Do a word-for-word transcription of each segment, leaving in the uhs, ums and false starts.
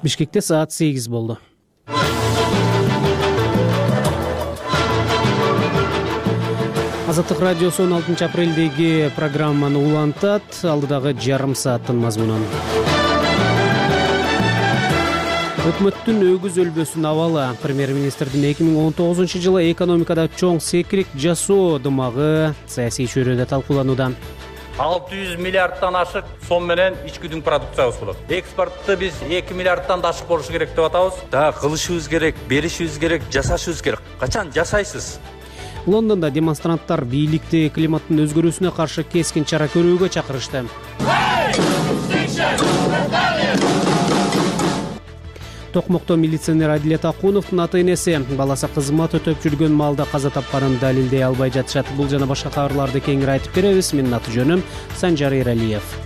Бишкекте саат сегиз болду. Азаттык радиосу он алтынчы апрелдеги программаны улантат. Алдыдагы жарым сааттын мазмунун. Өкмөттүн өгүз өлбөсүн абалы. Премьер-министрдин эки миң он тогузунчу жылы экономикада чоң секирик жасоо дымагы саясий чөйрөдө талкууланууда. алты жүз миллиардтан ашык сом менен ичкүдүн продукциябыз болот. Экспортты биз эки миллиардтан да ашык болушу керек деп атабыз. Да кылышыбыз керек, беришибиз керек, жасашыбыз керек. Качан жасайсыз? Лондондо демонстранттар бийликти климаттын өзгөрүүсүнө каршы кескин чара көрүүгө чакырышты. Токмокто милиционер Адилет Акуновдун ата-энеси баласы кызмат өтөп жүргөн маалда каза тапканын далилдей албай жатышат. Бул жана башка кабарларды кеңири айтып беребиз. Менин аты жөнүм Санжар Эралиев.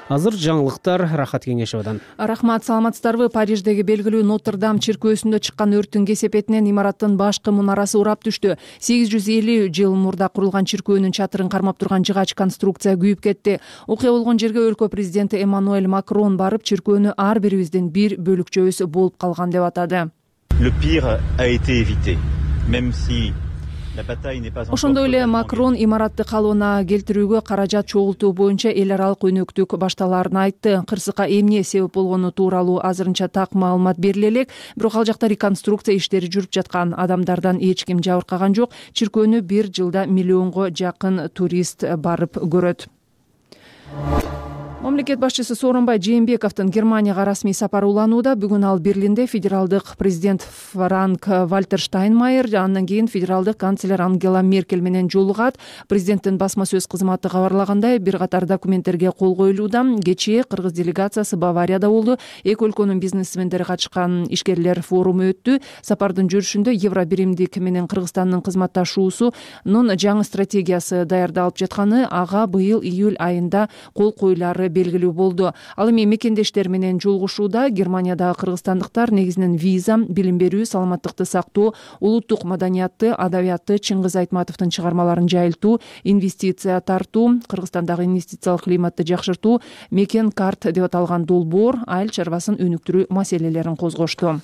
Азыр жаңылыктар Рахат Кеңешевадан. Рахмат, саламатсыздарбы? Париждеги белгилүү Нотр-Дам чиркөөсүндө чыккан өрттүн кесепетинен имараттын башкы мунарасы урап түштү. сегиз жүз элүү жыл мурда курулган чиркөөнүн чатырын кармап турган жыгач конструкция күйүп кетти. Окуя болгон жерге өлкө президенти Эммануэль Макрон барып, чиркөөнү ар бирибиздин бир бөлүкчөбүз болуп калган деп атады. Le pire a été évité, même si Ошондой эле Макрон имаратты калыбына келтирүүгө каражат чогултуу боюнча эл аралык өнөктүк башталаарын айтты. Кырсыкка эмне себеп болгону тууралуу азырынча так маалымат бериле элек, бирок ал жакта реконструкция иштери жүрүп жаткан. Адамдардан эч ким жабыркаган жок. Чиркөөнү бир жылда миллионго жакын турист барып көрөт. Мамлекет башчысы Сооронбай Жээнбековдун Германияга расмий сапары уланууда. Бүгүн ал Берлинде федералдык президент Франк Вальтер Штайнмайер, андан кийин федералдык канцлер Ангела Меркель менен жолугат. Президенттин басма сөз кызматы кабарлагандай, бир катар документтерге кол коюлууда. Кечээ кыргыз делегациясы Баварияда болду. Эки өлкөнүн бизнесмендери катышкан ишкерлер форуму өттү. Сапардын жүрүшүндө Евробиримдик менен Кыргызстандын кызматташуусунун жаңы стратегиясы даярдалып жатканы, ага быйыл июль айында кол коюлары белгилүү болду. Ал эми мекендештер менен жолугушууда. Германиядагы кыргызстандыктар негизинен виза, билим берүү, саламаттыкты сактоо, улуттук маданиятты, адабиятты, Чыңгыз Айтматовдун чыгармаларын жайылтуу, инвестиция тартуу, Кыргызстандагы инвестициялык климатты жакшыртуу, мекен карт деп аталган долбоор, айыл чарбасын өнүктүрүү маселелерин козгошту.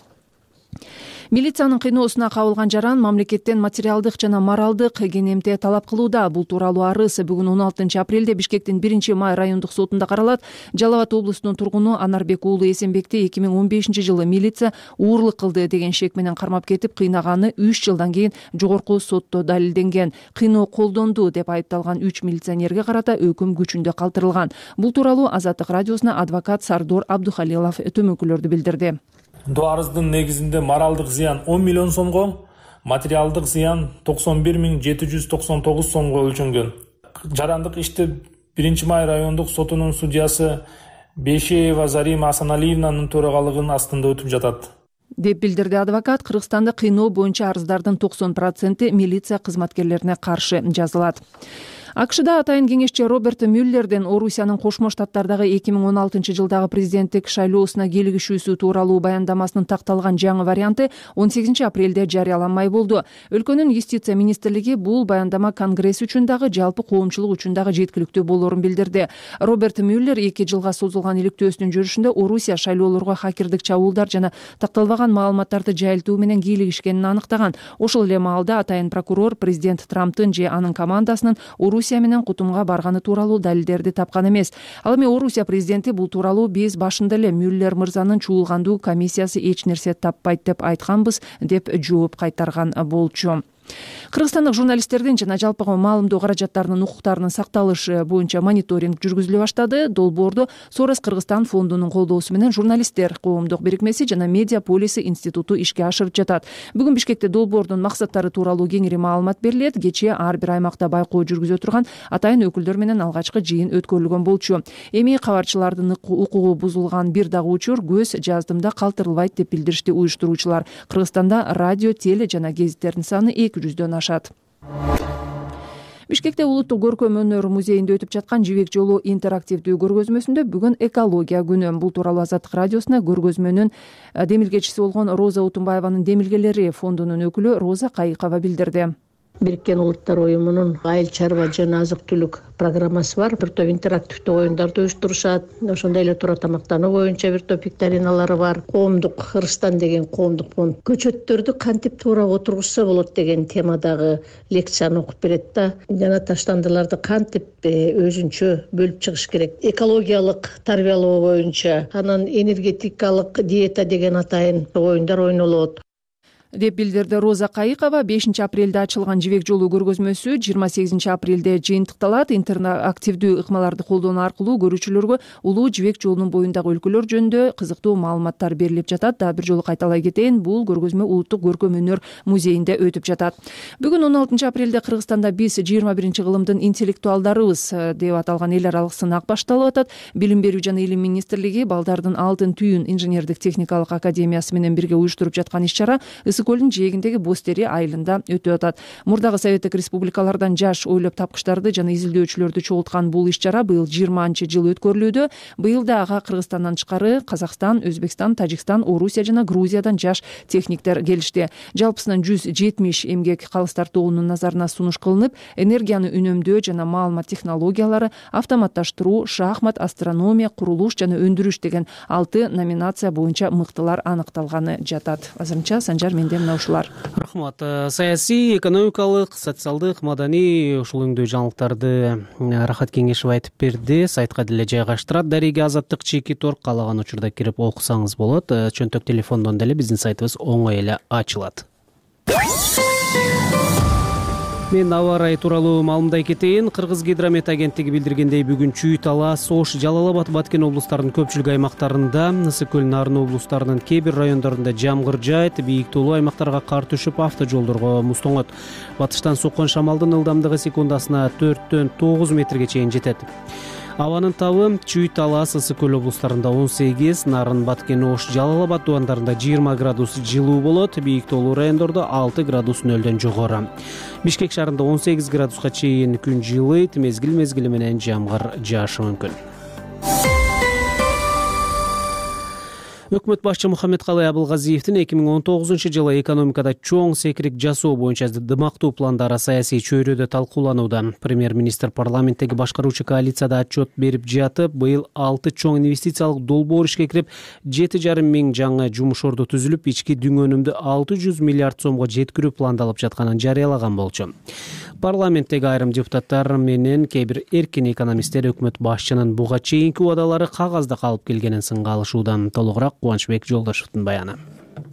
Милициянын кыйноосуна кабылган жаран мамлекеттен материалдык жана моралдык кенемте талап кылууда. Бул тууралуу арыз бүгүн он алтынчы апрелде Бишкектин биринчи май райондук сотунда каралат. Жалал Абад облусунун тургуну Анарбек уулу Эсенбекти эки миң он бешинчи жылы милиция уурлук кылды деген шек менен кармап кетип, кыйнаганы үч жылдан кийин жогорку сотто далилденген. Кыйноо колдонду деп айыпталган үч милиционерге карата өкүм күчүндө калтырылган. Бул тууралуу Азаттык радиосуна адвокат Сардор Абдухалилов төмөнкүлөрдү билдирди. Бул арыздын негизинде моралдык зыян он миллион сомго, материалдык зыян токсон бир миң жети жүз токсон тогуз сомго өлчөнгөн. Жарандык ишти биринчи май райондук сотунун судьясы Бейшеева Зарима Асаналиевнанын төрагалыгынын астында өтүп жатат деп билдирди адвокат. Кыргызстанда кыйноо боюнча арыздардын токсон проценти милиция кызматкерлерине каршы жазылат. АКШда атайын кеңешчи Роберт Мюллердин Орусиянын Кошмо Штаттардагы эки миң он алтынчы жылдагы президенттик шайлоосуна кийлигишүүсү тууралуу баяндамасынын такталган жаңы варианты он сегизинчи апрелде жарыяланмай болду. Өлкөнүн юстиция министрлиги бул баяндама Конгресс үчүн дагы, жалпы коомчулук үчүн дагы жеткиликтүү болоорун билдирди. Роберт Мюллер эки жылга созулган иликтөөсүнүн жүрүшүндө Орусия шайлоолорго хакердик чабуулдар жана такталбаган маалыматтарды жайылтуу менен кийлигишкенин аныктаган. Ошол эле маалда атайын прокурор президент Трамптын же анын командасынын Орусия менен кутумга барганы тууралуу далилдерди тапкан эмес. Ал эми Орусия президенти бул тууралуу биз башында эле Мюллер мырзанын чуулгандуу комиссиясы эч нерсе таппайт деп айтканбыз деп жооп кайтарган болчу. Кыргызстандык журналисттердин жана жалпыга маалымдоо каражаттарынын укуктарынын сакталышы боюнча мониторинг жүргүзүлө баштады. Долбоорду Сорос Кыргызстан фондунун колдоосу менен журналисттер коомдук бирикмеси жана Медиа Полиси институту ишке ашырып жатат. Бүгүн Бишкекте долбоордун максаттары тууралуу кеңири маалымат берилет. Кечээ ар бир аймакта байкоо жүргүзө турган атайын өкүлдөр менен алгачкы жыйын өткөрүлгөн болчу. Эми кабарчылардын укугу бузулган бир дагы учур көз жаздымда калтырылбайт деп билдиришти уюштуруучулар. Кыргызстанда радио, теле жана гезиттердин саны эки жүздөн ашат. Бишкекте улуттук көркөм өнөр музейинде өтүп жаткан Жибек жолу интерактивдүү көргөзмөсүндө бүгүн экология күнү. Бул тууралуу Азаттык радиосуна көргөзмөнүн демилгечиси болгон Роза Утунбаеванын демилгелери фондунун өкүлү Роза Кайыкова билдирди. Бириккен Улуттар уюмунун айыл чарба жана азык түлүк программасы бар. Бир топ интерактивдүү оюндарды уюштурушат. Ошондой эле туура тамактануу боюнча бир топ викториналары бар. Коомдук Кыргызстан деген коомдук фонд көчөттөрдү кантип туура отургузса болот деген темадагы лекцияны окуп берет да. Жана таштандыларды кантип өзүнчө бөлүп чыгыш керек. Экологиялык тарбиялоо боюнча, анан энергетикалык диета деген атайын оюндар ойнолот деп билдирди Роза Кайыкова. бешинчи апрелде ачылган жибек жолу көргөзмөсү жыйырма сегизинчи апрелде жыйынтыкталат. Интерактивдүү ыкмаларды колдонуу аркылуу көрүүчүлөргө улуу жибек жолунун боюндагы өлкөлөр жөнүндө кызыктуу маалыматтар берилип жатат. Дагы бир жолу кайталай кетейин, бул көргөзмө Улуттук көркөм өнөр музейинде өтүп жатат. Бүгүн он алтынчы апрелде Кыргызстанда биз жыйырма биринчи кылымдын интеллектуалдарыбыз деп аталган эл аралык сынак башталып атат. Билим берүү жана илим министрлиги Балдардын алтын түйүн инженердик техникалык академиясы менен бирге уюштуруп жаткан иш-чара Көлдүн жээгиндеги Бостери айылында өтүп атат. Мурдагы Советтик республикалардан жаш ойлоп тапкычтарды жана изилдөөчүлөрдү чогулткан бул иш-чара быйыл жыйырманчы жыл өткөрүлүүдө. Быйыл да ага Кыргызстандан тышкары Казакстан, Өзбекстан, Тажикстан, Орусия жана Грузиядан жаш техниктер келишти. Жалпысынан жүз жетимиш эмгек калыстар тобунун назарына сунуш кылынып, энергияны үнөмдөө жана маалымат технологиялары, автоматташтыруу, шахмат, астрономия, курулуш жана өндүрүш деген алты номинация боюнча мыктылар аныкталганы жатат. Азырынча Санжар менде мына ушулар. Рахмат. Саясий, экономикалык, социалдык, маданий ушул өңдүү жаңылыктарды Рахат Кеңешева айтып берди. Сайтка деле жайгаштырат. Дареги Азаттык чеки тор каалаган учурда кирип окусаңыз болот. Чөнтөк телефондон деле биздин сайтыбыз оңой эле ачылат. Мен аба ырайы тууралуу маалымдай кетейин. Кыргыз гидромет агенттиги билдиргендей, бүгүн Чүй, Талас, Ош, Жалал Абад, Баткен облустарынын көпчүлүк аймактарында, Ысык көл, Нарын облустарынын кээ бир райондорунда жамгыр жаайт, бийик тоолуу аймактарга кар түшүп, автожолдорго муз тоңот. Батыштан соккон шамалдын ылдамдыгы секундасына төрттөн тогуз метрге чейин жетет. Абанын табы Чүй, Талас, Ысык көл облустарында он сегиз, Нарын, Баткен, Ош, Жалал Абад тубандарында жыйырма градус жылуу болот, бийик тоолуу райондордо алты градус нөлдөн жогору. Бишкек шаарында он сегиз градуска чейин күн жылыйт, мезгил мезгили менен жамгыр жаашы мүмкүн. Өкмөт башчы Мухаммедкалый Абылгазиевдин эки миң он тогузунчу жылы экономикада чоң секирик жасоо боюнча дымактуу пландары саясий чөйрөдө талкууланууда. Премьер-министр парламенттеги башкаруучу коалицияда отчет берип жатып, быйыл алты чоң инвестициялык долбоор ишке кирип, жети жарым миң жаңы жумуш орду түзүлүп, ички дүң өнүмдү алты жүз миллиард сомго жеткирүү пландалып жатканын жарыялаган болчу. Парламенттеги айрым депутаттар менен кээ бир эркин экономисттер өкмөт башчынын буга чейинки убадалары кагазда калып келгенин сынга алышууда. Толугураак Кубанычбек Жолдошевдун баяны.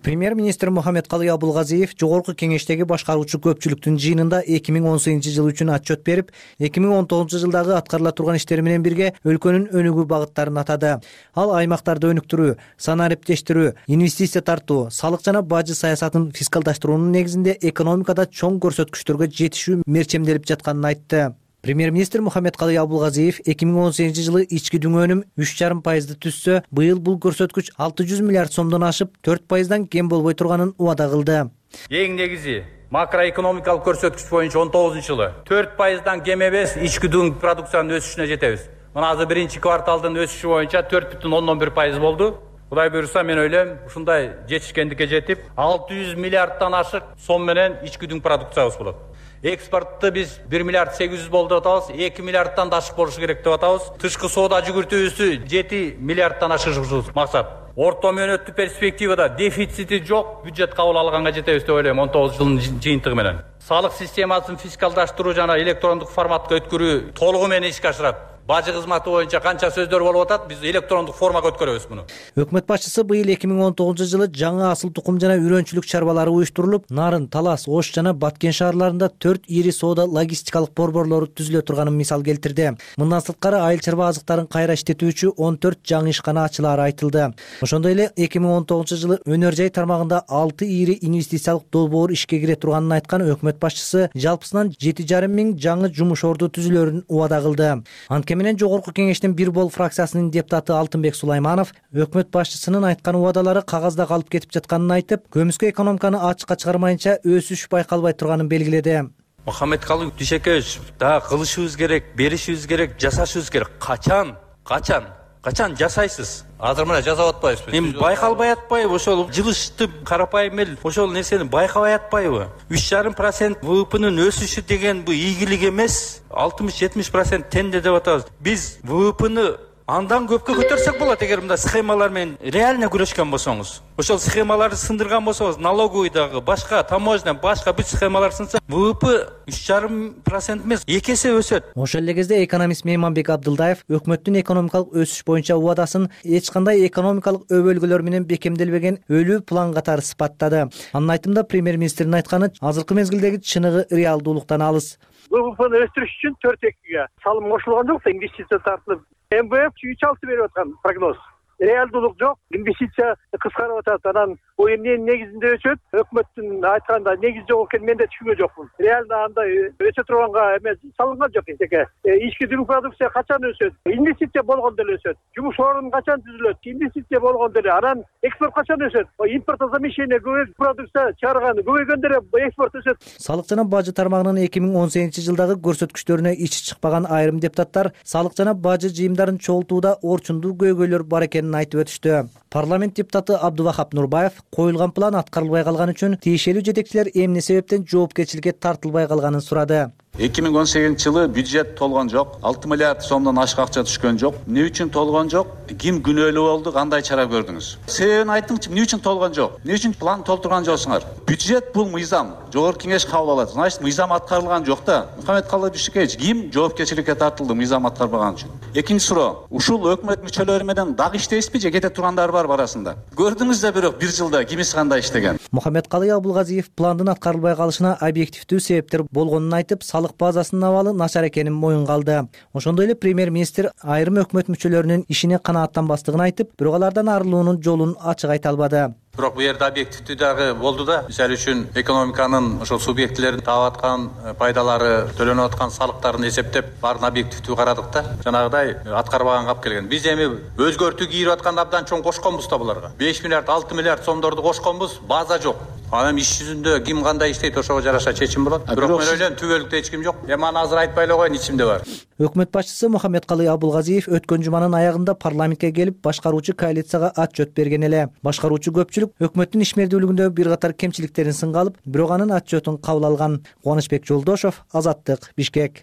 Премьер-министр Мухаммедкалый Абылгазиев жогорку кеңештеги башкаруучу көпчүлүктүн жыйынында эки миң он сегизинчи жыл үчүн отчет берип, эки миң он тогузунчу жылдагы аткарыла турган иштер менен бирге өлкөнүн өнүгүү багыттарын атады. Ал аймактарды өнүктүрүү, санаа эптештирүү, инвестиция тартуу, салык жана бажы саясатын фискалдаштыруунун негизинде экономикада чоң көрсөткүчтөргө жетишүү мерчемделип жатканын айтты. Премьер-министр Мухаммедкалый Абылгазиев эки миң он сегизинчи жылы ички дүң өнүм үч жарым пайызды түзсө, быйыл бул көрсөткүч алты жүз миллиард сомдон ашып, төрт пайыздан кем болбой турганын убада кылды. Эң негизи макроэкономикалык көрсөткүч боюнча он тогузунчу жылы төрт пайыздан кем эмес ички дүң продукциянын өсүшүнө жетебиз. Мына азыр биринчи кварталдын өсүшү боюнча төрт бүтүн ондон бир пайыз болду. Кудай буйруса, мен ойлойм, ушундай жетишкендикке жетип, алты жүз миллиарддан ашык сом менен ички дүң продукциябыз болот. Экспортты биз бир миллиард сегиз жүз болду деп атабыз, эки миллиардтан да ашык болушу керек деп атабыз. Тышкы соода жүгүртүүбүздү жети миллиардтан ашырышыбыз максат. Орто мөөнөттүү перспективада дефицити жок бюджет кабыл алганга жетебиз деп ойлойм он тогуз жылдын жыйынтыгы менен. Салык системасын фискалдаштыруу жана электрондук форматка өткөрүү толугу менен ишке ашырат. Бажы кызматы боюнча канча сөздөр болуп атат, биз электрондук формага өткөрөбүз муну. Өкмөт башчысы быйыл эки миң он тогузунчу жылы жаңы асыл тукум жана үрөнчүлүк чарбалары уюштурулуп, Нарын, Талас, Ош жана Баткен шаарларында төрт ири соода логистикалык борборлору түзүлө турганын мисал келтирди. Мындан сырткары айыл чарба азыктарын кайра иштетүүчү он төрт жаңы ишкана ачылары айтылды. Ошондой эле эки миң он тогузунчу жылы өнөр жай тармагында алты ири инвестициялык долбоор ишке кире турганын айткан өкмөт башчысы жалпысынан жети жарым миң жаңы жумуш орду түзүлөрүн убада кылды. Анткени менен жогорку кеңештин бир бол фракциясынын депутаты Алтынбек Сулайманов өкмөт башчысынын айткан убадалары кагазда калып кетип жатканын айтып, көмүскө экономиканы ачыкка чыгармайынча өсүш байкалбай турганын белгиледи. Мухаммедкалый Дүйшөкеевич, да кылышыбыз керек, беришибиз керек, жасашыбыз керек. Качан? Качан? качан жасайсыз? Азыр мына жасап атпайсызбы? Эми байкалбай атпайбы? Ошол жылышты карапайым эл ошол нерсени байкабай атпайбы? үч жарым процент вэ вэ пэнин өсүшү деген бул ийгилик эмес. алтымыш жетимиш процент тенде деп атабыз. Биз вэ вэ пэни андан көпкө көтөрсөк болот эгер мындай схемалар менен реально күрөшкөн болсоңуз. Ошол схемаларды сындырган болсоңуз, налоговыйдагы, башка таможня, башка бүт схемалар сынса, вэ вэ пэ үч жарым процент эмес, эки эсе өсөт. Ошол эле кезде экономист Мейманбек Абдылдаев өкмөттүн экономикалык өсүш боюнча убадасын эч кандай экономикалык өбөлгөлөр менен бекемделбеген өлүү план катары сыпаттады. Анын айтымында премьер-министрдин айтканы азыркы мезгилдеги чыныгы реалдуулуктан алыс. вэ вэ пэни өстүрүш үчүн төрт экиге салым кошулган жок, инвестиция тартылып эм вэ эф үч алты берип аткан прогноз. Реалдуулук жок, инвестиция кыскарып атат. Анан бул эмненин негизинде өсөт? Өкмөттүн айтканда негизи жок экенин мен да түшүнгөн жокмун. Реально андай өсө турганга эмес салынган жок эчеке. Ички дүң продукция качан өсөт? Инвестиция болгондо эле өсөт. Жумуш орун качан түзүлөт? Инвестиция болгондо эле. Анан экспорт качан өсөт? Импортозамещение көбөйүп, продукция чыгарган көбөйгөндө эле экспорт өсөт. Салык жана бажы тармагынын эки миң он сегизинчи жылдагы көрсөткүчтөрүнө ичи чыкпаган айрым депутаттар салык жана бажы жыйымдарын чогултууда орчундуу көйгөйлөр бар экенин айтып өтүштү. Парламент депутаты Абдувахап Нурбаев коюлган план аткарылбай калган үчүн тиешелүү жетекчилер эмне себептен жоопкерчиликке тартылбай калганын сурады. эки миң он сегизинчи жылы бюджет толгон жок, алты миллиард сомдон ашык акча түшкөн жок. Эмне үчүн толгон жок? Ким күнөөлүү болду? Кандай чара көрдүңүз? Себебин айтыңызчы, эмне үчүн толгон жок? Эмне үчүн план толтурган жоксуңар? Бюджет бул мыйзам. Жогорку кеңеш кабыл алат. Значит, мыйзам аткарылган жок да. Мухаммед Калай Бишкевич ким жоопкерчиликке тартылды мыйзам аткарбаган үчүн? Экинчи суроо. Ушул өкмөт мүчөлөрү менен дагы иштейсизби же кете тургандар бар арасында? Көрдүңүз да бирок бир жылда кимиси кандай иштеген? Мухаммед Калай Абулгазиев пландын аткарылбай калышына объективдүү себептер болгонун айтып, салык базасынын абалы начар экенин моюнга алды. Ошондой эле премьер-министр айрым өкмөт мүчөлөрүнүн ишине канааттанбастыгын айтып, бирок алардан арылуунун жолун ачык айта албады. Бирок бу жерде объективдүү дагы болду да. Мисалы үчүн экономиканын ошол субъектилерин таап аткан пайдалары, төлөнүп аткан салыктарын эсептеп, баарын объективдүү карадык да. Жанагыдай аткарбаганга алып келген. Биз эми өзгөртүү кийирип атканда абдан чоң кошконбуз да буларга. беш миллиард, алты миллиард сомдорду кошконбуз, база жок. Анан иш жүзүндө ким кандай иштейт, ошого жараша чечим болот. Бирок мен ойлойм түбөлүктө эч ким жок. Эми аны азыр айтпай эле коеюн, ичимде бар. Өкмөт башчысы Мухаммед Калай Абулгазиев өткөн жуманын аягында парламентке келип, башкаруучу коалицияга отчет берген эле. Башкаруучу көпчүлүк өкмөттүн ишмердүүлүгүндө бир катар кемчиликтерин сынга алып, бирок анын отчетун кабыл алган. Кубанычбек Жолдошов, Азаттык, Бишкек.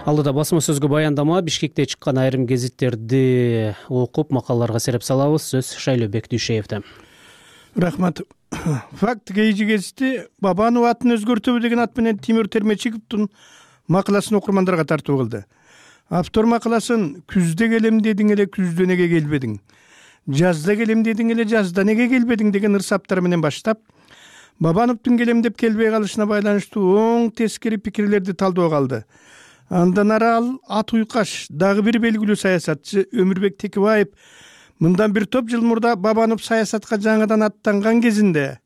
Алдыда басма сөзгө баяндама Бишкекте чыккан айрым гезиттерди окуп, макалаларга сереп салабыз. Сөз Шайлообек Дүйшеевде. Рахмат. Факт Кейжи гезити Бабанов атын өзгөртөбү деген ат менен Тимур Термечиковдун макаласын окурмандарга тартуу кылды. Автор макаласын күздө келем дедиң эле күздө неге келбедиң, жазда келем дедиң эле жазда неге келбедиң деген ырсаптар менен баштап, Бабановдун келем деп келбей калышына байланыштуу оң тескери пикирлерди талдоого алды. Андан ары ал ат уйкаш дагы бир белгилүү саясатчы Өмүрбек Текебаев мындан бир топ жыл мурда Бабанов саясатка жаңыдан аттанган кезинде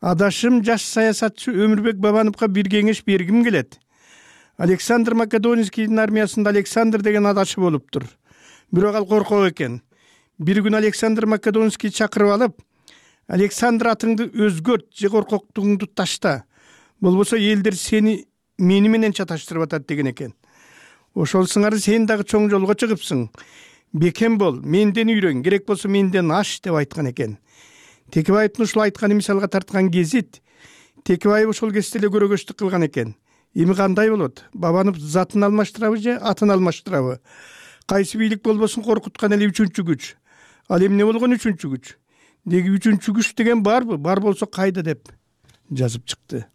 адашым жаш саясатчы Өмүрбек Бабановго бир кеңеш бергим келет. Александр Македонскийдин армиясында Александр деген адашы болуптур. Бирок ал коркок экен. Бир күн Александр Македонский чакырып алып, Александр атыңды өзгөрт же коркоктугуңду ташта. Болбосо элдер сени мени менен чаташтырып атат деген экен. Ошол сыңары сен дагы чоң жолго чыгыпсың. Бекем бол, менден үйрөн, керек болсо менден аш деп айткан экен. Текебаевдин ушул айтканы мисалга тарткан гезит Текебаев ошол кезде эле көрөгөчтүк кылган экен. Эми кандай болот? Бабанов затын алмаштырабы же атын алмаштырабы? Кайсы бийлик болбосун коркуткан эле үчүнчү күч. Ал эмне болгон үчүнчү күч? Деги үчүнчү күч деген барбы? Бар болсо кайда деп жазып чыкты.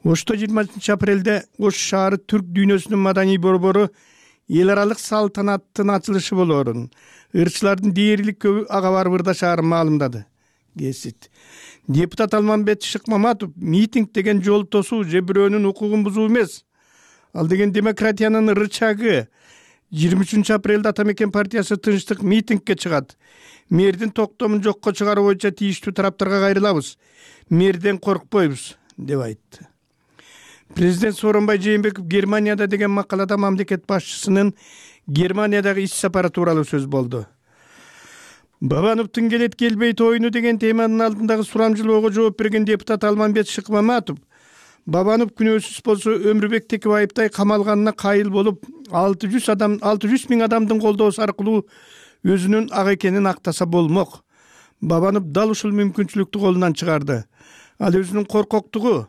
Ошто жыйырмасынчы апрелде Ош шаары түрк дүйнөсүнүн маданий борбору эл аралык салтанаттын ачылышы болоорун, ырчылардын дээрлик көбү ага барбырда шаарын маалымдады. Гезит. Депутат Алмамбет Шыкмаматов митинг деген жол тосуу же бирөөнүн укугун бузуу эмес. Ал деген демократиянын рычагы. жыйырма үчүнчү апрелде Ата Мекен партиясы тынчтык митингге чыгат. Мэрдин токтомун жокко чыгаруу боюнча тийиштүү тараптарга кайрылабыз. Мэрден коркпойбуз деп айтты. Президент Сооронбай Жээнбеков Германияда деген макалада мамлекет башчысынын Германиядагы иш сапары тууралуу сөз болду. Бабановдун келет келбейт оюну деген теманын алдындагы сурамжылоого жооп берген депутат Алмамбет Шыкмаматов Бабанов күнөөсүз болсо Өмүрбек Текебаевтай камалганына кайыл болуп, алты жүз адам алты жүз миң адамдын колдоосу аркылуу өзүнүн ак экенин актаса болмок. Бабанов дал ушул мүмкүнчүлүктү колунан чыгарды. Ал өзүнүн коркоктугу,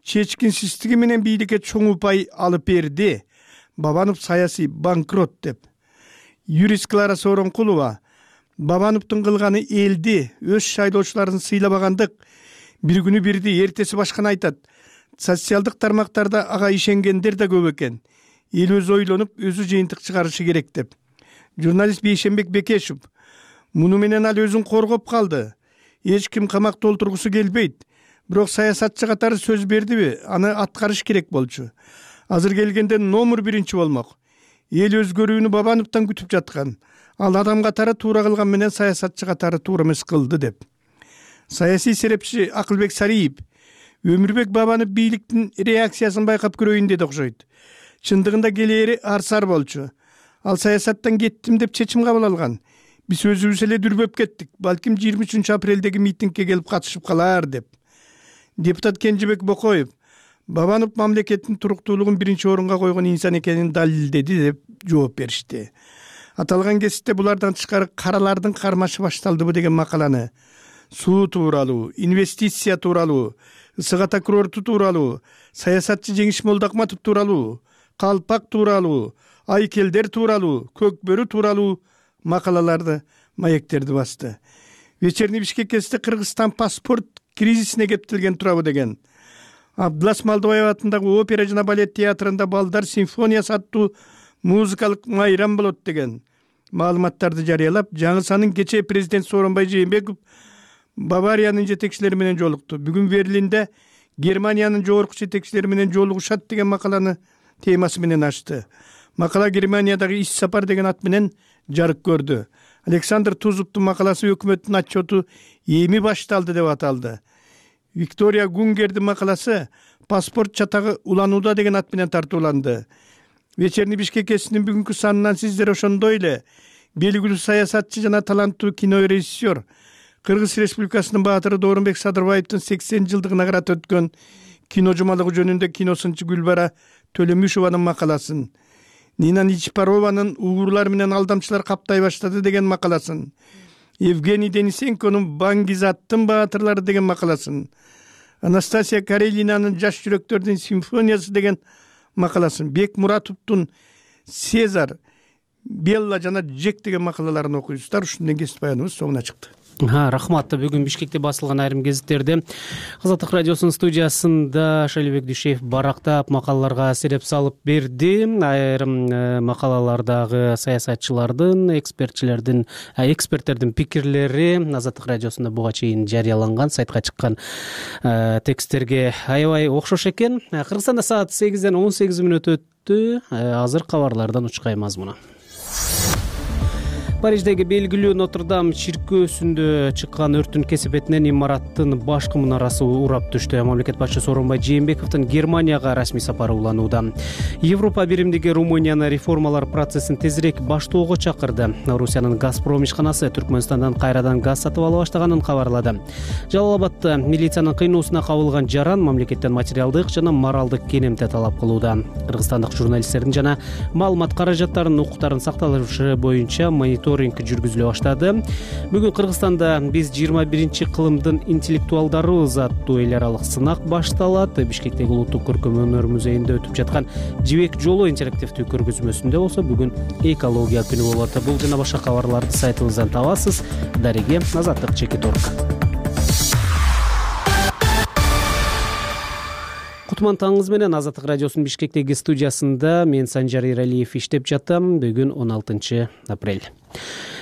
чечкинсиздиги менен бийликке чоң упай алып берди. Бабанов саясий банкрот деп. Юрист Клара Сооронкулова Бабановдун кылганы элди, өз шайлоочуларын сыйлабагандык, бир күнү бирди, эртеси башканы айтат. Социалдык тармактарда ага ишенгендер да көп экен. Эл өзү ойлонуп, өзү жыйынтык чыгарышы керек деп. Журналист Бейшенбек Бекешев муну менен ал өзүн коргоп калды. Эч ким камакта олтургусу келбейт. Бирок саясатчы катары сөз бердиби, аны аткарыш керек болчу. Азыр келгенде номер биринчи болмок. Эл өзгөрүүнү Бабановдон күтүп жаткан. Ал адам катары туура кылган менен саясатчы катары туура эмес кылды деп. Саясий серепчи Акылбек Сариев Өмүрбек Бабанов бийликтин реакциясын байкап көрөйүн деди окшойт. Чындыгында келери арсар болчу. Ал саясаттан кеттим деп чечим кабыл алган. Биз өзүбүз эле дүрбөп кеттик. Балким жыйырма үчүнчү апрелдеги митингге келип катышып калар деп. Депутат Кенжебек Бокоев Бабанов мамлекеттин туруктуулугун биринчи орунга койгон инсан экенин далилдеди деп жооп беришти. Аталган кесипте булардан тышкары каралардын кармашы башталдыбы деген макаланы суу тууралуу, инвестиция тууралуу, ысык ата курорту тууралуу, саясатчы Жеңиш Молдокматов тууралуу, калпак тууралуу, айкелдер тууралуу, көкбөрү тууралуу макалаларды, маектерди басты. Вечерний Бишкек кесте Кыргызстан паспорт кризисине кептелген турабы деген. Абдылас Малдыбаев атындагы опера жана балет театрында балдар симфониясы аттуу музыкалык майрам болот деген маалыматтарды жарыялап, жаңы санын кечээ президент Сооронбай Жээнбеков Бавариянын жетекчилери менен жолукту. Бүгүн Берлинде Германиянын жогорку жетекчилери менен жолугушат деген макаланы темасы менен ачты. Макала Германиядагы иш сапар деген ат менен жарык көрдү. Александр Тузовдун макаласы өкмөттүн отчету эми башталды деп аталды. Виктория Гунгердин макаласы паспорт чатагы уланууда деген ат менен тартууланды. Вечерний Бишкек кесинин бүгүнкү санынан сиздер ошондой эле белгилүү саясатчы жана таланттуу кинорежиссер, Кыргыз Республикасынын баатыры Доорунбек Садырбаевдин сексен жылдыгына карата өткөн кино жумалыгы жөнүндө киносунчу Гүлбара Төлөмүшованын макаласын, Нина Ничпарованын угурлар менен алдамчылар каптай баштады деген макаласын, Евгений Денисенконун Баңгизаттын баатырлары деген макаласын, Анастасия Карелинанын Жаш жүрөктөрдүн симфониясы деген макаласын, Бек Муратовдун Сезар, Белла жана Джек деген макалаларын окуйсуздар. Ушунден кесип баяныбыз соңуна чыкты. Рахмат. Бүгүн Бишкекте басылган айрым гезиттерде Азаттык радиосунун студиясында Шалибек Дүйшеев барактап макалаларга сереп салып берди. Айрым макалалардагы саясатчылардын, экспертчилердин, эксперттердин пикирлери Азаттык радиосунда буга чейин жарыяланган, сайтка чыккан тексттерге аябай окшош экен. Кыргызстанда саат сегизден он сегиз мүнөт өттү. Азыр кабарлардан учкай мазмуну. Париждеги белгилүү Нотр-Дам чиркөөсүндө чыккан өрттүн кесепетинен имараттын башкы мунарасы урап түштү. Мамлекет башчысы Сооронбай Жээнбековдун Германияга расмий сапары уланууда. Европа биримдиги Румынияны реформалар процессин тезирээк баштоого чакырды. Орусиянын Газпром ишканасы Түркмөнстандан кайрадан газ сатып ала баштаганын кабарлады. Жалал Абадта милициянын кыйноосуна кабылган жаран мамлекеттен материалдык жана моралдык кенемте талап кылууда. Кыргызстандык журналисттердин жана маалымат каражаттарынын укуктарын сакталышы боюнча монитор жүргүзүлө баштады. Бүгүн Кыргызстанда биз жыйырма биринчи кылымдын интеллектуалдарыбыз аттуу эл аралык сынак башталат. Бишкектеги улуттук көркөм өнөр музейинде өтүп жаткан Жибек жолу интерактивдүү көргөзмөсүндө болсо бүгүн экология күнү болот. Бул жана башка кабарларды сайтыбыздан табасыз. Дареге Азаттык чекит орг. Кутман таңыңыз менен Азаттык радиосунун Бишкектеги студиясында мен Санжар Иралиев иштеп жатам. Бүгүн он алтынчы апрель.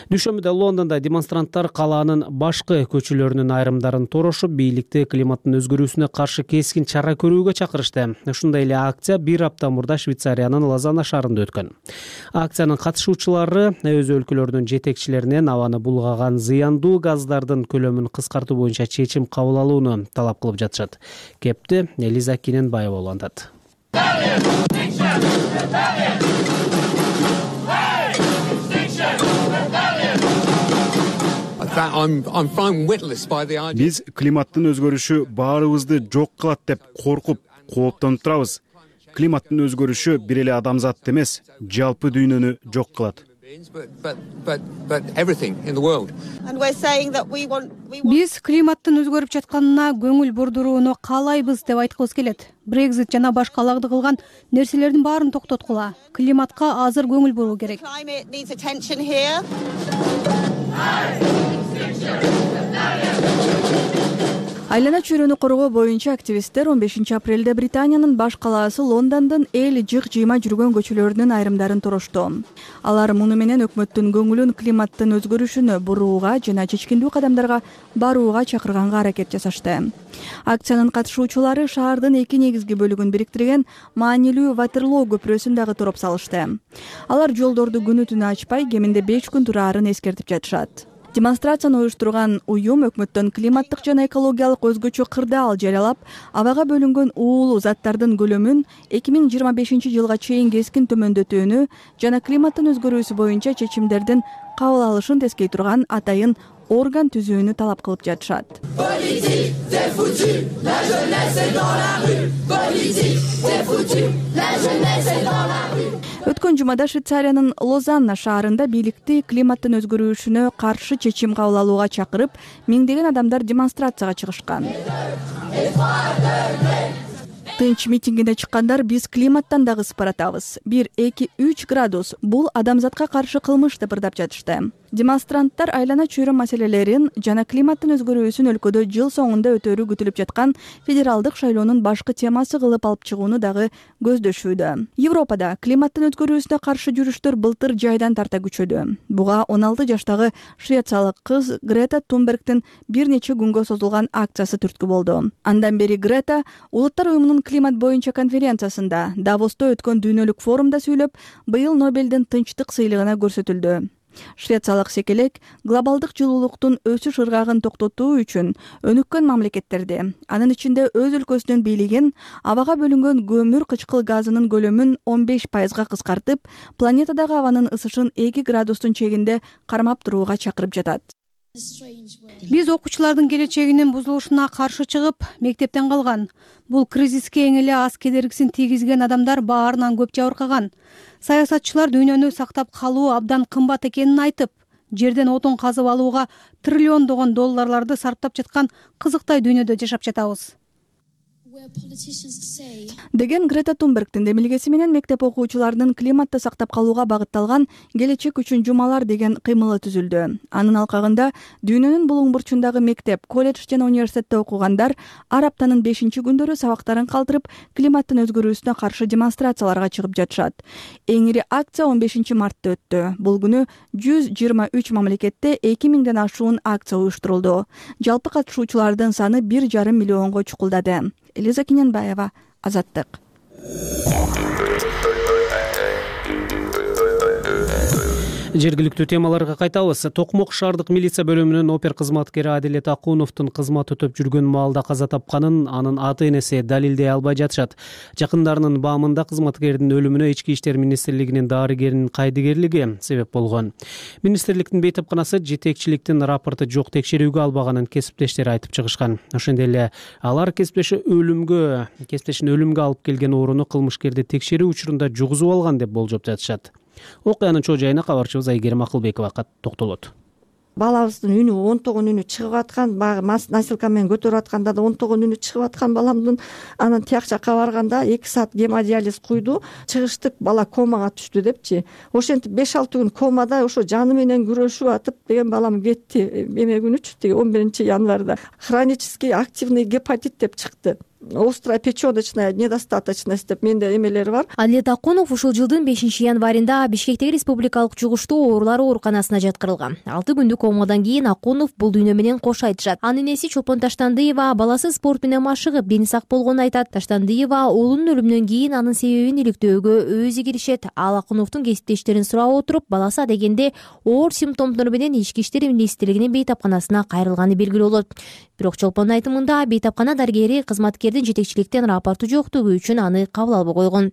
Дүйшөмбүдө Лондондо демонстранттар калаанын башкы көчөлөрүнүн айрымдарын торошуп, бийликти климаттын өзгөрүүсүнө каршы кескин чара көрүүгө чакырышты. Ушундай эле акция бир апта мурда Швейцариянын Лозанна шаарында өткөн. Акциянын катышуучулары өз өлкөлөрүнүн жетекчилеринен абаны булгаган зыяндуу газдардын көлөмүн кыскартуу боюнча чечим кабыл алууну талап кылып жатышат. Кепти Элиза Киненбаева улантат. Биз климаттын өзгөрүшү баарыбызды жок кылат деп коркуп, кооптонуп турабыз. Климаттын өзгөрүшү бир эле адамзатты эмес, жалпы дүйнөнү жок кылат. Биз климаттын өзгөрүп жатканына көңүл бурдурууну каалайбыз деп айткыбыз келет. Брекзит жана башка алагды кылган нерселердин баарын токтоткула. Климатка азыр көңүл буруу керек. Айлана чөйрөнү коргоо боюнча активисттер он бешинчи апрелде Британиянын баш калаасы Лондондун эл жык жыйма жүргөн көчөлөрүнүн айрымдарын турушту. Алар муну менен өкмөттүн көңүлүн климаттын өзгөрүшүнө бурууга жана чечкиндүү кадамдарга барууга чакырганга аракет жасашты. Акциянын катышуучулары шаардын эки негизги бөлүгүн бириктирген маанилүү Ватерлоо көпүрөсүн дагы туруп салышты. Алар жолдорду күнү түнү ачпай, кеминде беш күн тураарын эскертип жатышат. Демонстрацияны уюштурган уюм өкмөттөн климаттык жана экологиялык өзгөчө кырдаал жарыялап, абага бөлүнгөн уулуу заттардын көлөмүн эки миң жыйырма бешинчи жылга чейин кескин төмөндөтүүнү жана климаттын өзгөрүүсү боюнча чечимдердин кабыл алышын тескей турган атайын орган түзүүнү талап кылып жатышат. Өткөн жумада Швейцариянын Лозанна шаарында бийликти климаттын өзгөрүшүнө каршы чечим кабыл алууга чакырып, миңдеген адамдар демонстрацияга чыгышкан. Тынч митингине чыккандар биз климаттан дагы сыпаратабыз. бир, эки, үч градус бул адамзатка каршы кылмыш деп ырдап жатышты. Демонстранттар айлана чөйрө маселелерин жана климаттын өзгөрүүсүн өлкөдө жыл соңунда өтөрү күтүлүп жаткан федералдык шайлоонун башкы темасы кылып алып чыгууну дагы көздөшүүдө. Европада климаттын өзгөрүүсүнө каршы жүрүштөр былтыр жайдан тарта күчөдү. Буга он алты жаштагы швециялык кыз Грета Тунбергдин бир нече күнгө созулган акциясы түрткү болду. Андан бери Грета Улуттар уюмунун климат боюнча конференциясында Давосто өткөн дүйнөлүк форумда сүйлөп, быйыл Нобелдин тынчтык сыйлыгына көрсөтүлдү. Швециялык секелек глобалдык жылуулуктун өсүш ыргагын токтотуу үчүн өнүккөн мамлекеттерди, анын ичинде өз өлкөсүнүн бийлигин абага бөлүнгөн көмүр кычкыл газынын көлөмүн он беш пайызга кыскартып, планетадагы абанын ысышын эки градустун чегинде кармап турууга чакырып жатат. Биз окуучулардын келечегинин бузулушуна каршы чыгып, мектептен калган. Бул кризиске эң эле аз кедергисин тийгизген адамдар баарынан көп жабыркаган. Саясатчылар дүйнөнү сактап калуу абдан кымбат экенин айтып, жерден отун казып алууга триллиондогон долларларды сарптап жаткан кызыктай дүйнөдө жашап жатабыз деген Грета Тунбергдин демилгеси менен мектеп окуучуларынын климатты сактап калууга багытталган келечек үчүн жумалар деген кыймылы түзүлдү. Анын алкагында дүйнөнүн булуң бурчундагы мектеп, колледж жана университетте окугандар ар аптанын бешинчи күндөрү сабактарын калтырып, климаттын өзгөрүүсүнө каршы демонстрацияларга чыгып жатышат. Эң ири акция он бешинчи мартта өттү. Бул күнү жүз жыйырма үч мамлекетте эки миңден ашуун акция уюштурулду. Жалпы катышуучулардын саны бир жарым миллионго чукулдады. Элиза Киненбаева, Азаттык. Жергиликтүү темаларга кайтабыз. Токмок шаардык милиция бөлүмүнүн опер кызматкери Адилет Акуновдун кызмат өтөп жүргөн маалда каза тапканын анын ата-энеси далилдей албай жатышат. Жакындарынын баамында кызматкердин өлүмүнө Ички иштер министрлигинин дарыгеринин кайдыгерлиги себеп болгон. Министрликтин бейтапканасы жетекчиликтин рапорту жок текшерүүгө албаганын кесиптештери айтып чыгышкан. Ошондой эле алар кесиптеши өлүмгө, кесиптешин өлүмгө алып келген ооруну кылмышкерди текшерүү учурунда жугузуп алган деп болжоп жатышат. Окуянын чоо жайына кабарчыбыз Айгерим Акылбекова токтолот. Балабыздын үнү онтогон үнү чыгып аткан, баягы насилка менен көтөрүп атканда да онтогон үнү чыгып аткан баламдын. Анан тияк жакка барганда эки саат гемодиализ куйду, чыгыштык, бала комага түштү депчи. Ошентип беш алты күн комада ошо жаны менен күрөшүп атып деген балам кетти. Эме күнүчү тиги он биринчи январда хронический активный гепатит деп чыкты. Острая печёночная недостаточность деп менде эмелери бар. Адилет Акунов ушул жылдын бешинчи январында Бишкектеги республикалык жугуштуу оорулар ооруканасына жаткырылган. алты күндүк комадан кийин Акунов бул дүйнө менен кош айтышат. Анын энеси Чолпон Таштандыева баласы спорт менен машыгып, дени сак болгонун айтат. Таштандыева уулунун өлүмүнөн кийин анын себебин иликтөөгө өзү киришет. Ал Акуновдун кесиптештерин сурап отуруп, баласы адегенде оор симптомдор менен Ички иштер министрлигинин бейтапканасына кайрылганы белгилүү болот. бирок Чолпондун айтымында бейтапкана дарыгери кызматкердин жетекчиликтен рапорту жоктугу үчүн аны кабыл албай койгон.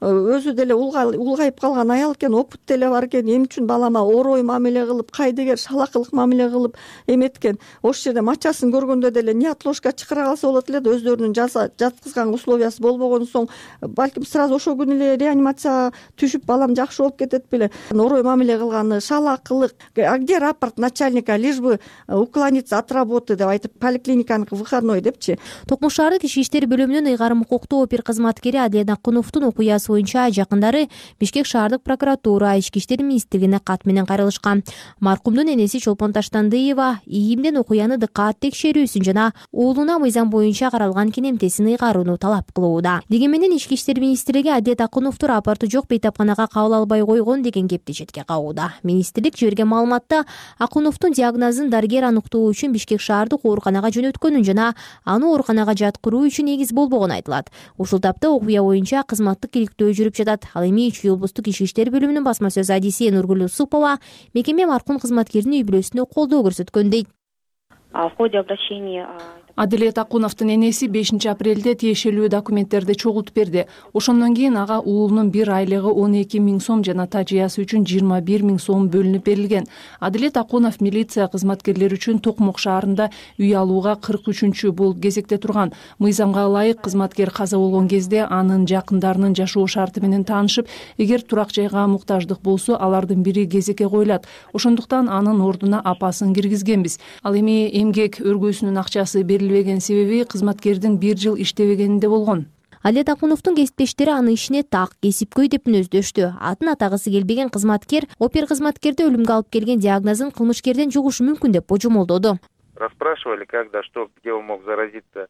Өзү деле улгайып калган аял экен, опыт деле бар экен, эмне үчүн балама орой мамиле кылып, кайдыгер шалакылык мамиле кылып эметкен. Ошол жерде мачасын көргөндө деле неотложка чакыра калса болот эле, өзлөрүнүн жаткызган условиясы болбогон соң балким сразу ошол күнү эле реанимацияга түшүп балам жакшы болуп кетет беле. Орой мамиле кылганы, шалакылык. А где рапорт начальника, лишь бы уклониться от работы деп айтып, поликлиниканын выходной депчи. Токмок шаардык ички иштер бөлүмүнүн ыйгарым укуктуу опер кызматкери Адилет Акуновдун окуясы боюнча жакындары Бишкек шаардык прокуратура, ички иштер министрлигине кат менен кайрылышкан. Маркумдун энеси Чолпон Таштандыева ийимден окуяны дыкаат текшерүүсүн жана уулуна мыйзам боюнча каралган кенемтесин ыйгарууну талап кылууда. Дегени менен ички иштер министрлиги Адилет Акуновду рапорту жок бейтапканага кабыл албай койгон деген кепти четке кагууда. Министрлик жиберген маалыматта Акуновдун диагнозун дарыгер аныктоо үчүн Бишкек шаардык ооруканага жөнөткөнүн жана аны ооруканага жаткыруу үчүн негиз болбогон айтылат. Ушул тапта окуя боюнча кызматтык иликтөө жүрүп жатат. Ал эми Чүй облустук ички иштер бөлүмүнүн басма сөз адиси Нургүл Усупова мекеме маркум кызматкердин үй бүлөсүнө колдоо көрсөткөн дейт. В ходе обращения Адилет Акуновдун энеси бешинчи апрелде тиешелүү документтерди чогултуп берди. Ошондон кийин ага уулунун бир айлыгы он эки миң сом жана тажыясы үчүн жыйырма бир миң сом бөлүнүп берилген. Адилет Акунов милиция кызматкерлери үчүн Токмок шаарында үй алууга кырк үчүнчү бул кезекте турган. Мыйзамга ылайык кызматкер каза болгон кезде анын жакындарынын жашоо шарты менен таанышып, эгер турак жайга муктаждык болсо, алардын бири кезекке коюлат. Ошондуктан анын ордуна апасын киргизгенбиз. Ал эми эмгек өргөөсүнүн акчасы берилбеген себеби кызматкердин бир жыл иштебегенинде болгон. Адилет Акуновдун кесиптештери аны ишине так, кесипкөй деп мүнөздөштү. Атын атагысы келбеген кызматкер опер кызматкерди өлүмгө алып келген диагнозун кылмышкерден жугушу мүмкүн деп божомолдоду. Расспрашивали, когда, что, где он мог заразиться.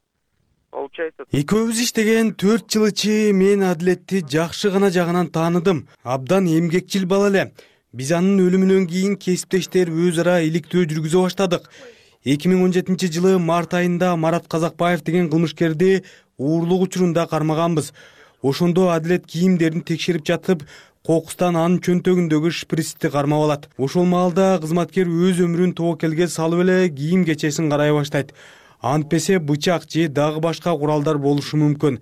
Экөөбүз иштеген төрт жыл ичи мен Адилетти жакшы гана жагынан тааныдым. Абдан эмгекчил бала эле. Биз анын өлүмүнөн кийин кесиптештер өз ара иликтөө жүргүзө баштадык. эки миң он жетинчи жылы март айында Марат Казакбаев деген кылмышкерди уурлук учурунда кармаганбыз. Ошондо Адилет кийимдерин текшерип жатып, кокустан анын чөнтөгүндөгү шприцти кармап алат. Ошол маалда кызматкер өз өмүрүн тобокелге салып эле кийим кечесин карай баштайт. Антпесе бычак же дагы башка куралдар болушу мүмкүн.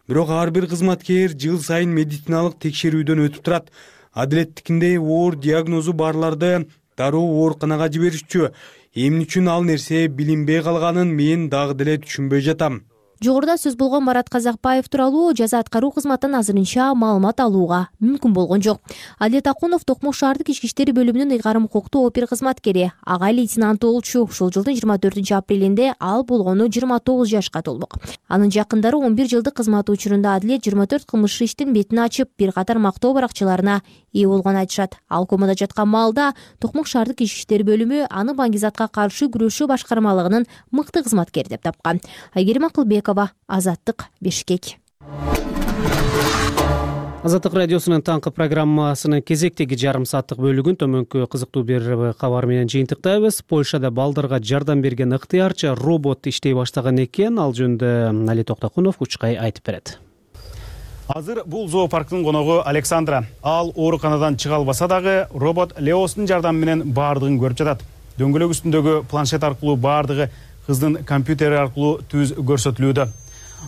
Бирок ар бир кызматкер жыл сайын медициналык текшерүүдөн өтүп турат. Адилеттикиндей оор диагнозу барларды дароо ооруканага жиберишчү. Эмне үчүн ал нерсе билинбей калганын мен дагы деле түшүнбөй жатам. Жогоруда сөз болгон Марат Казакбаев тууралуу жаза аткаруу кызматынан азырынча маалымат алууга мүмкүн болгон жок. Адилет Акунов Токмок шаардык ички иштер бөлүмүнүн ыйгарым укуктуу опер кызматкери, ага лейтенант болчу. Ушул жылдын жыйырма төртүнчү апрелинде ал болгону жыйырма тогуз жашка толмок. Анын жакындары он бир жылдык кызматы учурунда Адилет жыйырма төрт кылмыш иштин бетин ачып, бир катар мактоо баракчаларына ээ болгонун айтышат. Ал комада жаткан маалда Токмок шаардык ички иштер бөлүмү аны баңгизатка каршы күрөшүү башкармалыгынын мыкты кызматкери деп тапкан. Айгерим Акылбекова, Азаттык, Бишкек. Азаттык радиосунун таңкы программасынын кезектеги жарым сааттык бөлүгүн төмөнкү кызыктуу бир кабар менен жыйынтыктайбыз. Польшада балдарга жардам берген ыктыярчы робот иштей баштаган экен. Ал жөнүндө Али Токтокунов Учкай айтып берет. Азыр бул зоопарктын коногу Александра. Ал ооруканадан чыга албаса дагы робот Леостун жардамы менен баардыгын көрүп жатат. Дөңгөлөк үстүндөгү планшет аркылуу баардыгы кыздын компьютери аркылуу түз көрсөтүлүүдө.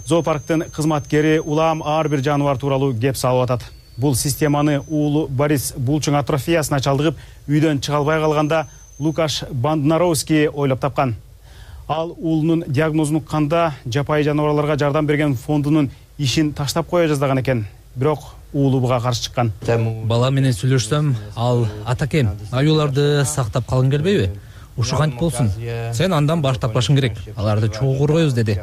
Зоопарктын кызматкери улам ар бир жаныбар тууралуу кеп салып атат. Бул системаны уулу Борис булчуң атрофиясына чалдыгып, үйдөн чыга албай калганда Лукаш Банднаровский ойлоп тапкан. Ал уулунун диагнозун укканда жапайы жаныбарларга жардам берген фондунун ишин таштап кое жаздаган экен. Бирок уулу буга каршы чыккан. Бала менен сүйлөшсөм, ал атакем, аюуларды сактап калгың келбейби? Ушу кантип болсун? Сен андан баш тартпашың керек. Аларды чогуу коргойбуз деди.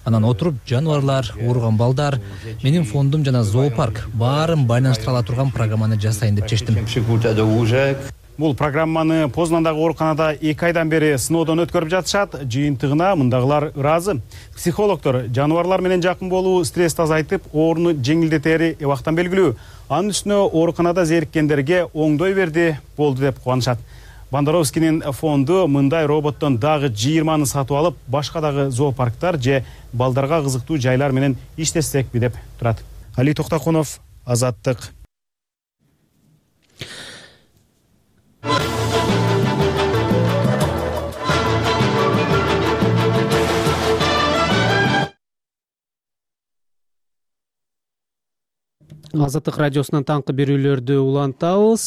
Анан отуруп жаныбарлар, ооруган балдар, менин фондум жана зоопарк баарын байланыштыра ала турган программаны жасайын деп чечтим. Бул программаны Познандагы ооруканада эки айдан бери сыноодон өткөрүп жатышат. Жыйынтыгына мындагылар ыраазы. Психологдор жаныбарлар менен жакын болуу стрессти азайтып, ооруну жеңилдетери эбактан белгилүү. Анын үстүнө ооруканада зериккендерге оңдой берди, болду деп кубанышат. Бандоровскийнин фонду мындай роботтон дагы жыйырманы сатып алып, башка дагы зоопарктар же балдарга кызыктуу жайлар менен иштесекпи деп турат. Али Токтокунов, Азаттык. Азаттык радиосунан таңкы берүүлөрдү улантабыз.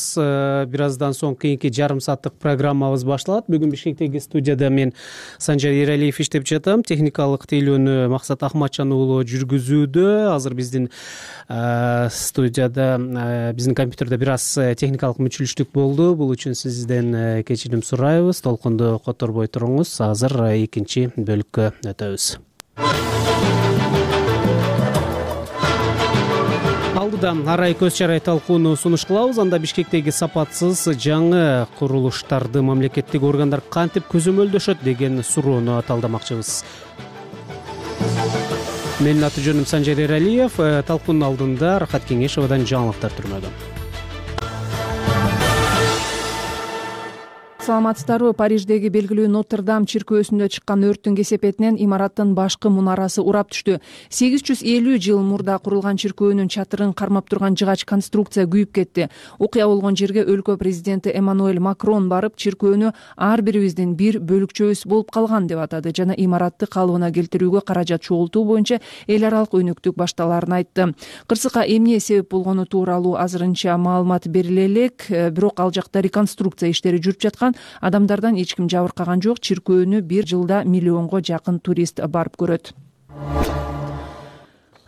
Бир аздан соң кийинки жарым сааттык программабыз башталат. Бүгүн Бишкектеги студияда мен Санжар Эралиев иштеп жатам. Техникалык тейлөөнү Максат Ахматжан уулу жүргүзүүдө. Азыр биздин студияда, биздин компьютерде бир аз техникалык мүчүлүштүк болду. Бул үчүн сизден кечирим сурайбыз. Толкунду которбой туруңуз. Азыр экинчи бөлүккө өтөбүз. Алдыда арай көз чарай талкууну сунуш кылабыз. Анда Бишкектеги сапатсыз жаңы курулуштарды мамлекеттик органдар кантип көзөмөлдөшөт деген суроону талдамакчыбыз. Менин аты жөнүм Санжар Эралиев. Талкуунун алдында Рахат Кеңешовадан жаңылыктар түрмөдө. Саламатсыздарбы? Париждеги белгилүү Нотр-Дам чиркөөсүндө чыккан өрттүн кесепетинен имараттын башкы мунарасы урап түштү. сегиз жүз элүү жыл мурда курулган чиркөөнүн чатырын кармап турган жыгач конструкция күйүп кетти. Окуя болгон жерге өлкө президенти Эммануэль Макрон барып, чиркөөнү ар бирибиздин бир бөлүкчөбүз болуп калган деп атады жана имаратты калыбына келтирүүгө каражат чогултуу боюнча эл аралык өнөктүк башталаарын айтты. Кырсыкка эмне себеп болгону тууралуу азырынча маалымат бериле элек, бирок ал жакта реконструкция иштери жүрүп жаткан. Адамдардан эч ким жабыркаган жок. Чиркөөнү бир жылда миллионго жакын турист барып көрөт.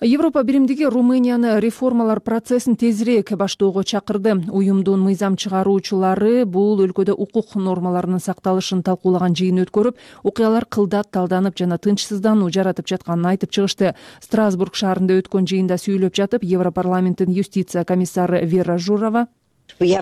Европа биримдиги Румынияны реформалар процессин тезирээк баштоого чакырды. Уюмдун мыйзам чыгаруучулары бул өлкөдө укук нормаларынын сакталышын талкуулаган жыйын өткөрүп, окуялар кылдат талданып жана тынчсыздануу жаратып жатканын айтып чыгышты. Страсбург шаарында өткөн жыйында сүйлөп жатып, Европарламенттин юстиция комиссары Вера Журова биз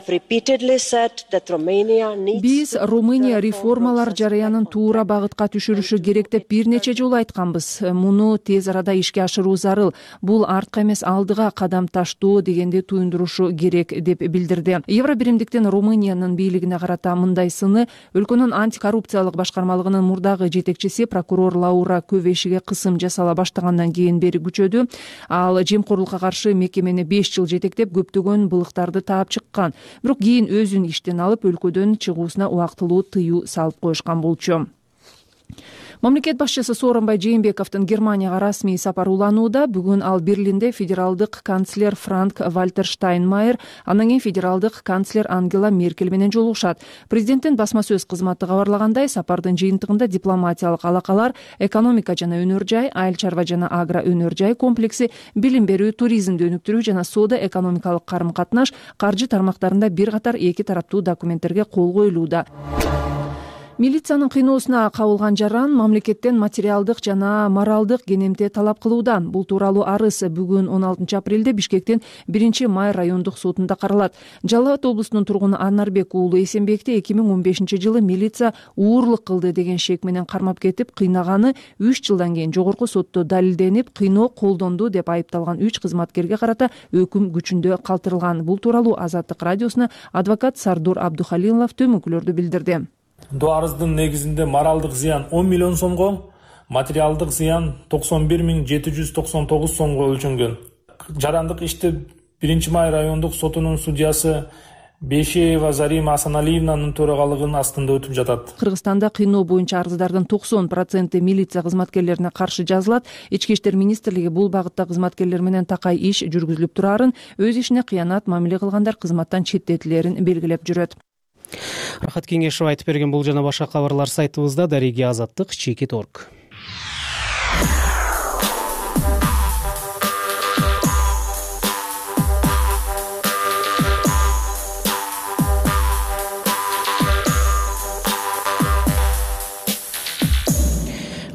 Румыния реформалар жараянын туура багытка түшүрүшү керек деп бир нече жолу айтканбыз. Муну тез арада ишке ашыруу зарыл. Бул артка эмес, алдыга кадам таштоо дегенди туюндурушу керек деп билдирди. Евро биримдиктин Румыниянын бийлигине карата мындай сыны өлкөнүн антикоррупциялык башкармалыгынын мурдагы жетекчиси прокурор Лаура Көвешиге кысым жасала баштагандан кийин бери күчөдү. Ал жемкорлукка каршы мекемени беш жыл жетектеп, көптөгөн былыктарды таап чыккан. Бирок кийин өзүн иштен алып, өлкөдөн чыгуусуна убактылуу тыюу салып коюшкан болчу. Мамлекет башчысы Сооронбай Жээнбековдун Германияга расмий сапары уланууда. Бүгүн ал Берлинде федералдык канцлер Франк Вальтер Штайнмайер, анан кийин федералдык канцлер Ангела Меркель менен жолугушат. Президенттин басма сөз кызматы кабарлагандай, сапардын жыйынтыгында дипломатиялык алакалар, экономика жана өнөр жай, айыл чарба жана агро өнөр жай комплекси, билим берүү, туризмди өнүктүрүү жана соода экономикалык карым-катнаш, каржы тармактарында бир катар эки тараптуу документтерге кол коюлууда. Милициянын кыйноосуна кабылган жаран мамлекеттен материалдык жана моралдык кенемте талап кылууда. Бул тууралуу арыз бүгүн он алтынчы апрелде Бишкектин биринчи май райондук сотунда каралат. Жалал Абад облусунун тургуну Анарбек уулу Эсенбекти эки миң он бешинчи жылы милиция уурлук кылды деген шек менен кармап кетип, кыйнаганы үч жылдан кийин жогорку сотто далилденип, кыйноо колдонду деп айыпталган үч кызматкерге карата өкүм күчүндө калтырылган. Бул тууралуу Азаттык радиосуна адвокат Сардор Абдухалилов төмөнкүлөрдү билдирди. Бул арыздын негизинде моралдык зыян он миллион сомго, материалдык зыян токсон бир миң жети жүз токсон тогуз сомго өлчөнгөн. Жарандык ишти биринчи май райондук сотунун судьясы Бешеева Зарима Асаналиевнанын төрагалыгынын астында өтүп жатат. Кыргызстанда кыйноо боюнча арыздардын токсон проценти милиция кызматкерлерине каршы жазылат. Ички иштер министрлиги бул багытта кызматкерлер менен такай иш жүргүзүлүп турарын, өз ишине кыянат мамиле кылгандар кызматтан четтетилерин белгилеп жүрөт. Рахат Кеңешов айтып берген бул жана башка кабарлар сайтыбызда. Дариги Азаттык чекит точка орг.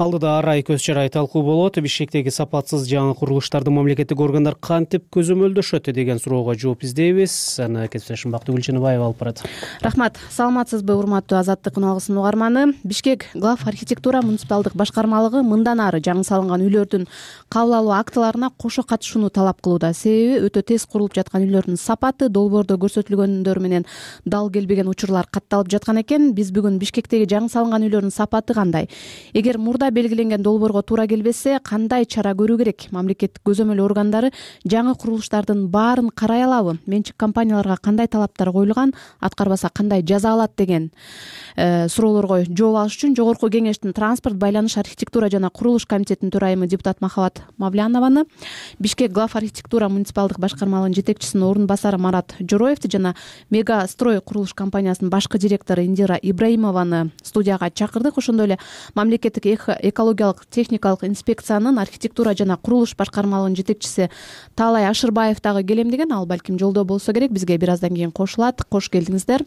Алдыда арай көз чарай талкуу болот. Бишкектеги сапатсыз жаңы курулуштарды мамлекеттик органдар кантип көзөмөлдөшөт деген суроого жооп издейбиз. Аны кесиптешим Бактыгүл Чыныбаева алып барат. Рахмат. Саламатсызбы, урматтуу Азаттык унаалысын угарманы. Бишкек глав архитектура муниципалдык башкармалыгы мындан ары жаңы салынган үйлөрдүн кабыл алуу актыларына кошо катышууну талап кылууда. Себеби өтө тез курулуп жаткан үйлөрдүн сапаты долбоордо көрсөтүлгөндөр менен дал келбеген учурлар катталып жаткан экен. Биз бүгүн Бишкектеги жаңы салынган үйлөрдүн сапаты кандай? Эгер мурда белгиленген долбоорго туура келбесе кандай чара көрүү керек? Мамлекеттик көзөмөл органдары жаңы курулуштардын баарын карай алабы? Менчик компанияларга кандай талаптар коюлган, аткарбаса кандай жаза алат деген суроолорго жооп алыш үчүн Жогорку Кеңештин транспорт, байланыш, архитектура жана курулуш комитетинин төрайымы депутат Махабат Мавлянованы, Бишкек глав архитектура муниципалдык башкармалыгынын жетекчисинин орун басары Марат Жороевди жана Мега строй курулуш компаниясынын башкы директору Индира Ибраимованы студияга чакырдык. Ошондой эле мамлекеттик экологиялык техникалык инспекциянын архитектура жана курулуш башкармалыгынын жетекчиси Таалай Ашырбаев дагы келем деген. Ал балким жолдо болсо керек, бизге бир аздан кийин кошулат. Кош келдиңиздер.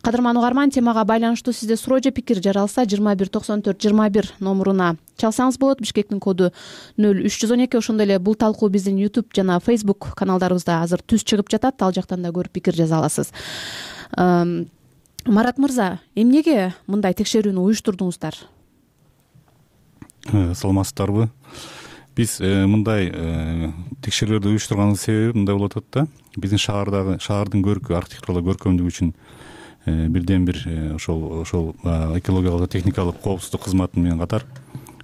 Кадырман угарман, темага байланыштуу сизде суроо же пикир жаралса жыйырма бир токсон төрт жыйырма бир номуруна чалсаңыз болот. Бишкектин коду нөл үч жүз он эки. Ошондой эле бул талкуу биздин YouTube жана Facebook каналдарыбызда азыр түз чыгып жатат. Ал жактан да көрүп пикир жаза аласыз. Марат мырза, эмнеге мындай текшерүүнү уюштурдуңуздар? Саламатсыздарбы? Биз мындай текшерүүлөрдү уюштурганыбыздын себеби мындай болуп атат да. Биздин шаардагы шаардын көркү, архитектуралык көркөмдүгү үчүн бирден бир ошол ошол экологиялык техникалык коопсуздук кызматы менен катар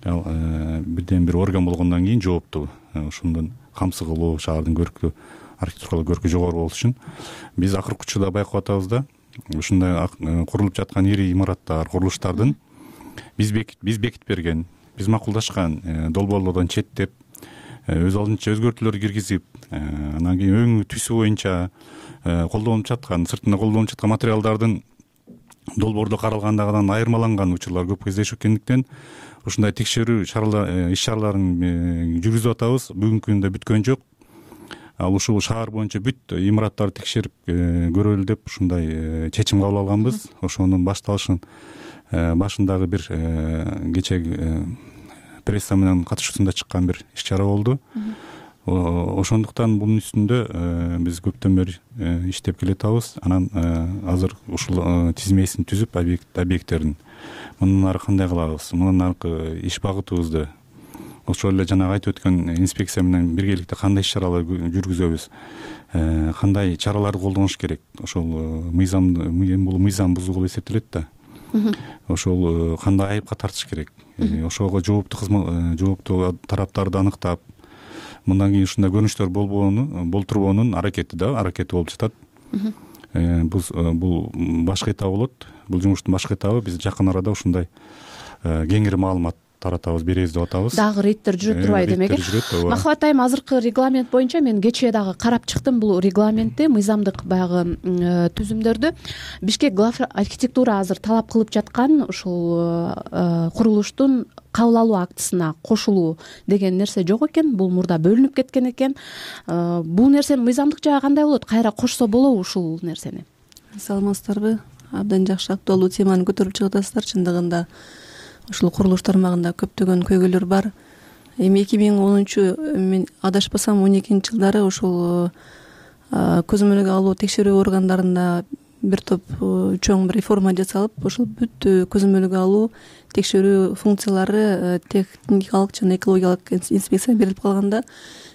бирден бир орган болгондон кийин жооптуу ошондон камсыз кылуу, шаардын көркү, архитектуралык көркү жогору болуш үчүн биз акыркы учурда байкап атабыз да. Ушундай курулуп жаткан ири имараттар, курулуштардын биз биз бекитип берген, биз макулдашкан долбоорлордон четтеп, өз алдынча өзгөртүүлөр киргизип, анан кийин өңү түсү боюнча колдонуп жаткан, сыртында колдонуп жаткан материалдардын долбоордо каралгандыгынан айырмаланган учурлар көп кездешип кеткендиктен ушундай текшерүү иш чараларын жүргүзүп атабыз. Бүгүнкү күндө бүткөн жок. Ал ушул шаар боюнча бүт имараттарды текшерип көрөлү деп ушундай чечим кабыл алганбыз. Ошонун башталышын башындагы бир кечеги пресса менен катышуусунда чыккан бир иш чара болду. Ошондуктан бунун үстүндө биз көптөн бери иштеп келатабыз. Анан азыр ушул тизмесин түзүп объекттердин мындан ары кандай кылабыз, мындан аркы иш багытыбызды ошол эле жанагы айтып өткөн инспекция менен биргеликте кандай иш чаралар жүргүзөбүз, кандай чараларды колдонуш керек. Ошол мыйзам бул мыйзам бузуу эсептелет да. Ошол кандай айыпка тартыш керек. Ошого жооптуу кызмат жооптуу тараптарды аныктап, мындан кийин ушундай көрүнүштөр болбоону, болтурбоонун аракети да, аракети болуп жатат. Бул башкы этабы болот. Бул жумуштун башкы этабы биз жакын арада ушундай кеңири маалымат таратабыз, беребиз деп атабыз. Дагы рейдтер жүрүп турбайбы демек? Махабат айым, азыркы регламент боюнча мен кечээ дагы карап чыктым бул регламентти, мыйзамдык баягы түзүмдөрдү. Бишкек глав архитектура азыр талап кылып жаткан ушул курулуштун кабыл алуу актысына кошулуу деген нерсе жок экен. Бул мурда бөлүнүп кеткен экен. Бул нерсенин мыйзамдык жагы кандай болот? Кайра кошсо болобу ушул нерсени? Саламатсыздарбы? Абдан жакшы, актуалдуу теманы көтөрүп чыгып атасыздар. Чындыгында ушул курулуш тармагында көптөгөн көйгөйлөр бар. Эми эки миң онунчу, мен адашпасам он экинчи жылдары ушул көзөмөлгө алуу текшерүү органдарында бир топ чоң бир реформа жасалып, ошол бүт көзөмөлгө алуу текшерүү функциялары техникалык жана экологиялык инспекция берилип калганда,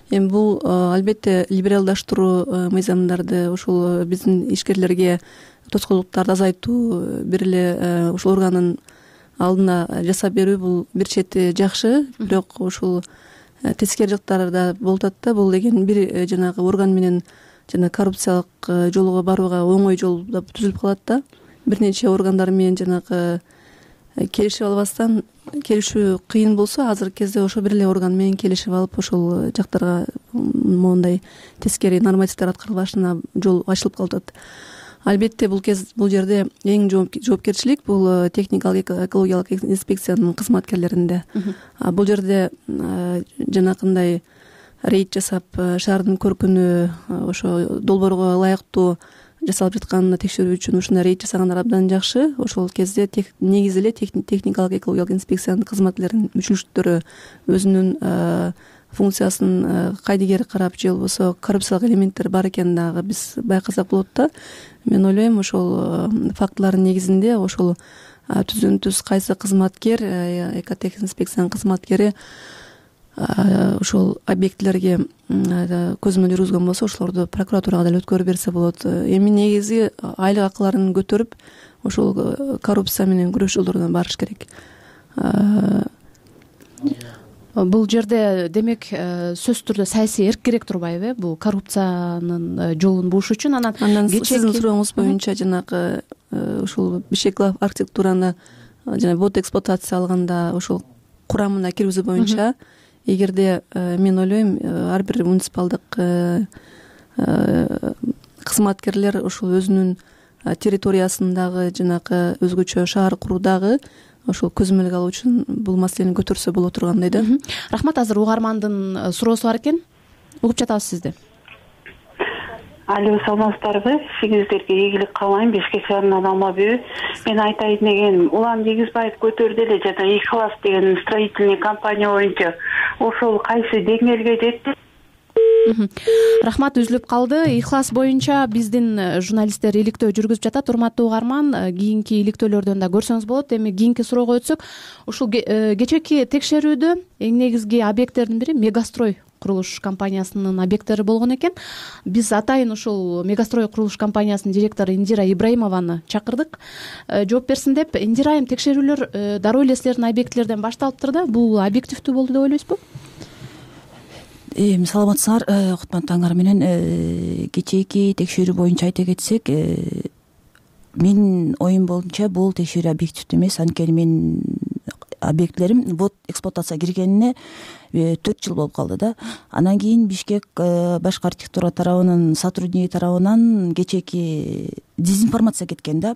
эми бул албетте либералдаштыруу мыйзамдарды, ушул биздин ишкерлерге тоскоолдуктарды азайтуу, бир эле ушул органдын алдына жасап берүү бул бир чети жакшы, бирок ушул тескери жактары да болуп атат да. Бул деген бир жанагы орган менен жана коррупциялык жолго барууга оңой жол түзүлүп калат да. Бир нече органдар менен жанагы келишип албастан, келишүү кыйын болсо, азыркы кезде ошо бир эле орган менен келишип алып, ошол жактарга моундай тескери нормативдер аткарылышына жол ачылып калып атат. Албетте бул кез бул жерде эң жоопкерчилик бул техникалык экологиялык инспекциянын кызматкерлеринде. Бул жерде жанакындай рейд жасап, шаардын көркүнө ошо долбоорго ылайыктуу жасалып жатканына текшерүү үчүн ушундай рейд жасагандар абдан жакшы. Ошол кезде негизи эле техникалык экологиялык инспекциянын кызматкерлеринин мүчөлүктөрү өзүнүн функциясын кайдыгер карап, же болбосо коррупциялык элементтер бар экенин дагы биз байкасак болот да. Мен ойлойм, ошол фактылардын негизинде ошол түздөн түз кайсы кызматкер, экотех инспекциянын кызматкери ошол объектилерге көзөмөл жүргүзгөн болсо, ошолорду прокуратурага деле өткөрүп берсе болот. Эми негизи айлык акыларын көтөрүп, ошол коррупция менен күрөш жолдоруна барыш керек. бул жерде демек сөзсүз түрдө саясий эркирээк турбайбы бул коррупциянын жолун бууш үчүн? Анан анан сиздин сурооңуз боюнча жанагы ушул бишкек глав архитектураны жана бот эксплуатация алганда ошол курамына киргизүү боюнча эгерде мен ойлойм ар бир муниципалдык кызматкерлер ошол өзүнүн территориясындагы жанагы өзгөчө шаар куруудагы ошол көзөмөлгө алуу үчүн бул маселени көтөрсө боло тургандай да. Рахмат. Азыр угармандын суроосу бар экен. Угуп жатабыз сизди. Алло, саламатсыздарбы? Сиңиздерге ийгилик каалайм. Бишкек шаарынан Алмабүй. Мен айтайын дегеним, Улан Дегизбаев көтөрдү эле жана Ихлас деген строительный компания боюнча ошол кайсы деңгээлге жетти? Рахмат, үзүлүп калды. Ихлас боюнча биздин журналисттер иликтөө жүргүзүп жатат. Урматтуу угарман, кийинки иликтөөлөрдөн да көрсөңүз болот. Эми кийинки суроого өтсөк, ушул кечээки текшерүүдө эң негизги объекттердин бири Мегастрой курулуш компаниясынын объекттери болгон экен. Биз атайын ушул Мегастрой курулуш компаниясынын директору Индира Ибраимованы чакырдык, жооп берсин деп. Индира айым, текшерүүлөр дароо эле силердин объектлерден башталыптыр да. Бул объективдүү болду деп ойлойсузбу? Саламатсыңар, кутман таңар менен. Кечээки текшерүү боюнча айта кетсек, менин оюм боюнча бул текшерүү объективдүү эмес. Анткени менин объектлерим вот эксплуатацияга киргенине төрт жыл болуп калды да. Анан кийин Бишкек башкы архитектура тарабынын сотрудниги тарабынан кечээки дезинформация кеткен да.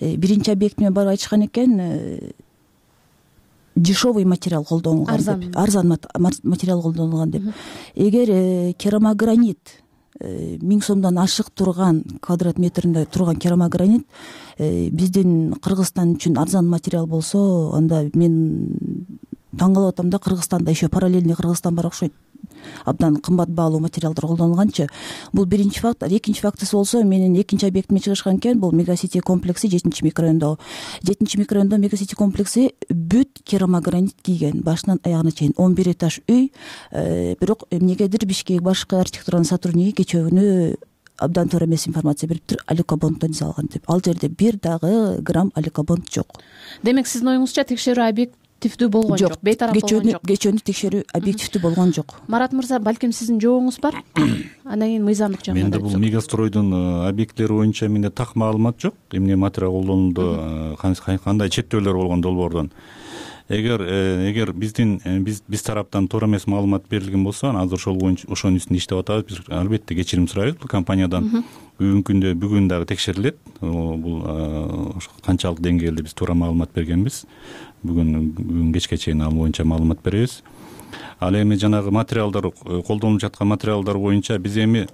Биринчи объектиме барып айтышкан экен, дешевый материал колдонулган деп, арзан материал колдонулган деп. Эгер керамогранит миң сомдон ашык турган, квадрат метринде турган керамогранит биздин Кыргызстан үчүн арзан материал болсо, анда мен таң калып атам да. Кыргызстанда еще параллельный Кыргызстан бар окшойт. Абдан кымбат баалуу материалдар колдонулганчы. Бул биринчи факт. Экинчи фактысы болсо, менин экинчи объектиме чыгышкан экен. Бул Мегасити комплекси жетинчи микрорайондо. жетинчи микрорайондо Мегасити комплекси бүт керамогранит кийген, башынан аягына чейин он бир этаж үй. Бирок эмнегедир Бишкек башкы архитектуранын сотрудниги кечөөнү абдан туура эмес информация бериптир. Алюкобонддон жасалган деп. Ал жерде бир дагы грамм алюкобонд жок. Демек сиздин оюңузча текшерүү объективдүү болгон жок, бейтарап болгон жок. Кечөөнү текшерүү объективдүү болгон жок. Марат мырза, балким сиздин жообуңуз бар? Андан кийин мыйзамдык жагына. Менде бул Мегастройдун объекттери боюнча менде так маалымат жок. Эмне материал колдонулду, кандай чектөөлөр болгон долбоордон. Эгер эгер биздин биз биз тараптан туура эмес маалымат берилген болсо, азыр ошол боюнча ошонун үстүндө иштеп атабыз. Биз албетте кечирим сурайбыз бул компаниядан. Бүгүнкү күндө бүгүн дагы текшерилет. Бул канчалык деңгээлде биз туура маалымат бергенбиз. Бүгүн бүгүн кечке чейин ал боюнча маалымат беребиз. Ал эми жанагы материалдар, колдонулуп жаткан материалдар боюнча биз эми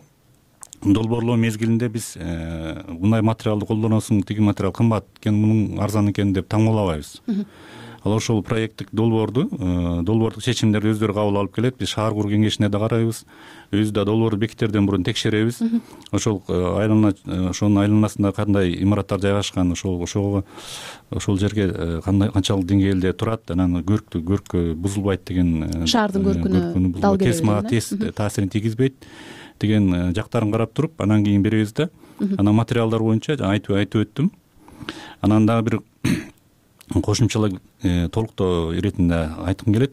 долбоорлоо мезгилинде биз мындай материалды колдоносуң, тиги материал кымбат экен, мунун арзан экен деп таң калабайбыз. Ал ошол проекттик долбоорду, долбоордук чечимдерди өздөрү кабыл алып келет. Биз шаар куруу кеңешине да карайбыз. Өзү да долбоорду бекитерден мурун текшеребиз. Ошол айлана, ошонун айланасында кандай имараттар жайгашкан, ошол ошого ошол жерге кандай канчалык деңгээлде турат, анан көрктү көрккө бузулбайт деген, шаардын көркүнө дал келбейт, тез таасирин тийгизбейт деген жактарын карап туруп, анан кийин беребиз да. Анан материалдар боюнча айтып айтып өттүм. Анан дагы бир кошумчалык толуктоо иретинде айткым келет.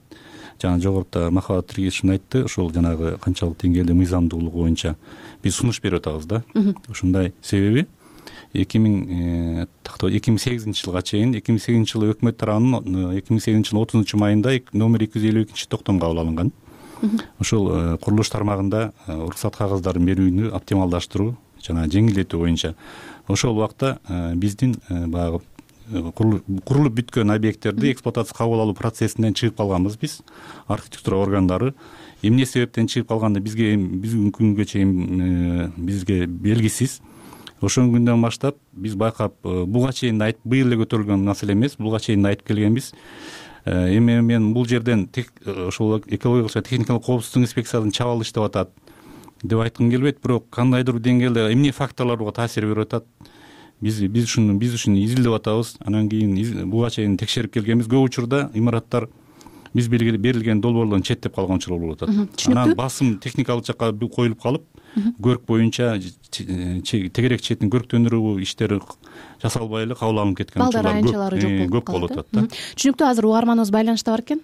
Жана жогоруда Махабат Тиргизович айтты, ошол жанагы канчалык деңгээлде мыйзамдуулугу боюнча биз сунуш берип атабыз да. Ушундай себеби эки миң сегизинчи жылга чейин, эки миң сегизинчи жылы өкмөт тарабынан эки миң сегизинчи жылдын отузунчу майында номер эки жүз элүү экинчи токтом кабыл алынган. Ошол курулуш тармагында уруксат кагаздарын берүүнү оптималдаштыруу жана жеңилдетүү боюнча ошол убакта биздин баягы курулуп бүткөн объекттерди эксплуатация кабыл алуу процессинен чыгып калганбыз биз, архитектура органдары. Эмне себептен чыгып калганды бизге бүгүнкү күнгө чейин бизге белгисиз. Ошол күндөн баштап биз байкап, буга чейин айтып, быйыл эле көтөрүлгөн маселе эмес, буга чейин айтып келгенбиз. Эми мен бул жерден ошол экологиялык жана техникалык коопсуздук инспекциясынан чабал иштеп атат деп айткым келбейт, бирок кандайдыр деңгээлде эмне факторлор буга таасир берип атат. Биз биз ушуну биз ушуну изилдеп атабыз. Анан кийин буга чейин текшерип келгенбиз. Көп учурда имараттар биз берилген долбоорлордон четтеп калган учурлар болуп атат. Анан басым техникалык жакка коюлуп калып, көрк боюнча тегерек четин көрктөндүрүү иштери жасалбай эле кабыл алынып кеткен балдар аянтчалары жок көп болуп атат да. Түшүнүктүү. Азыр угарманыбыз байланышта бар экен.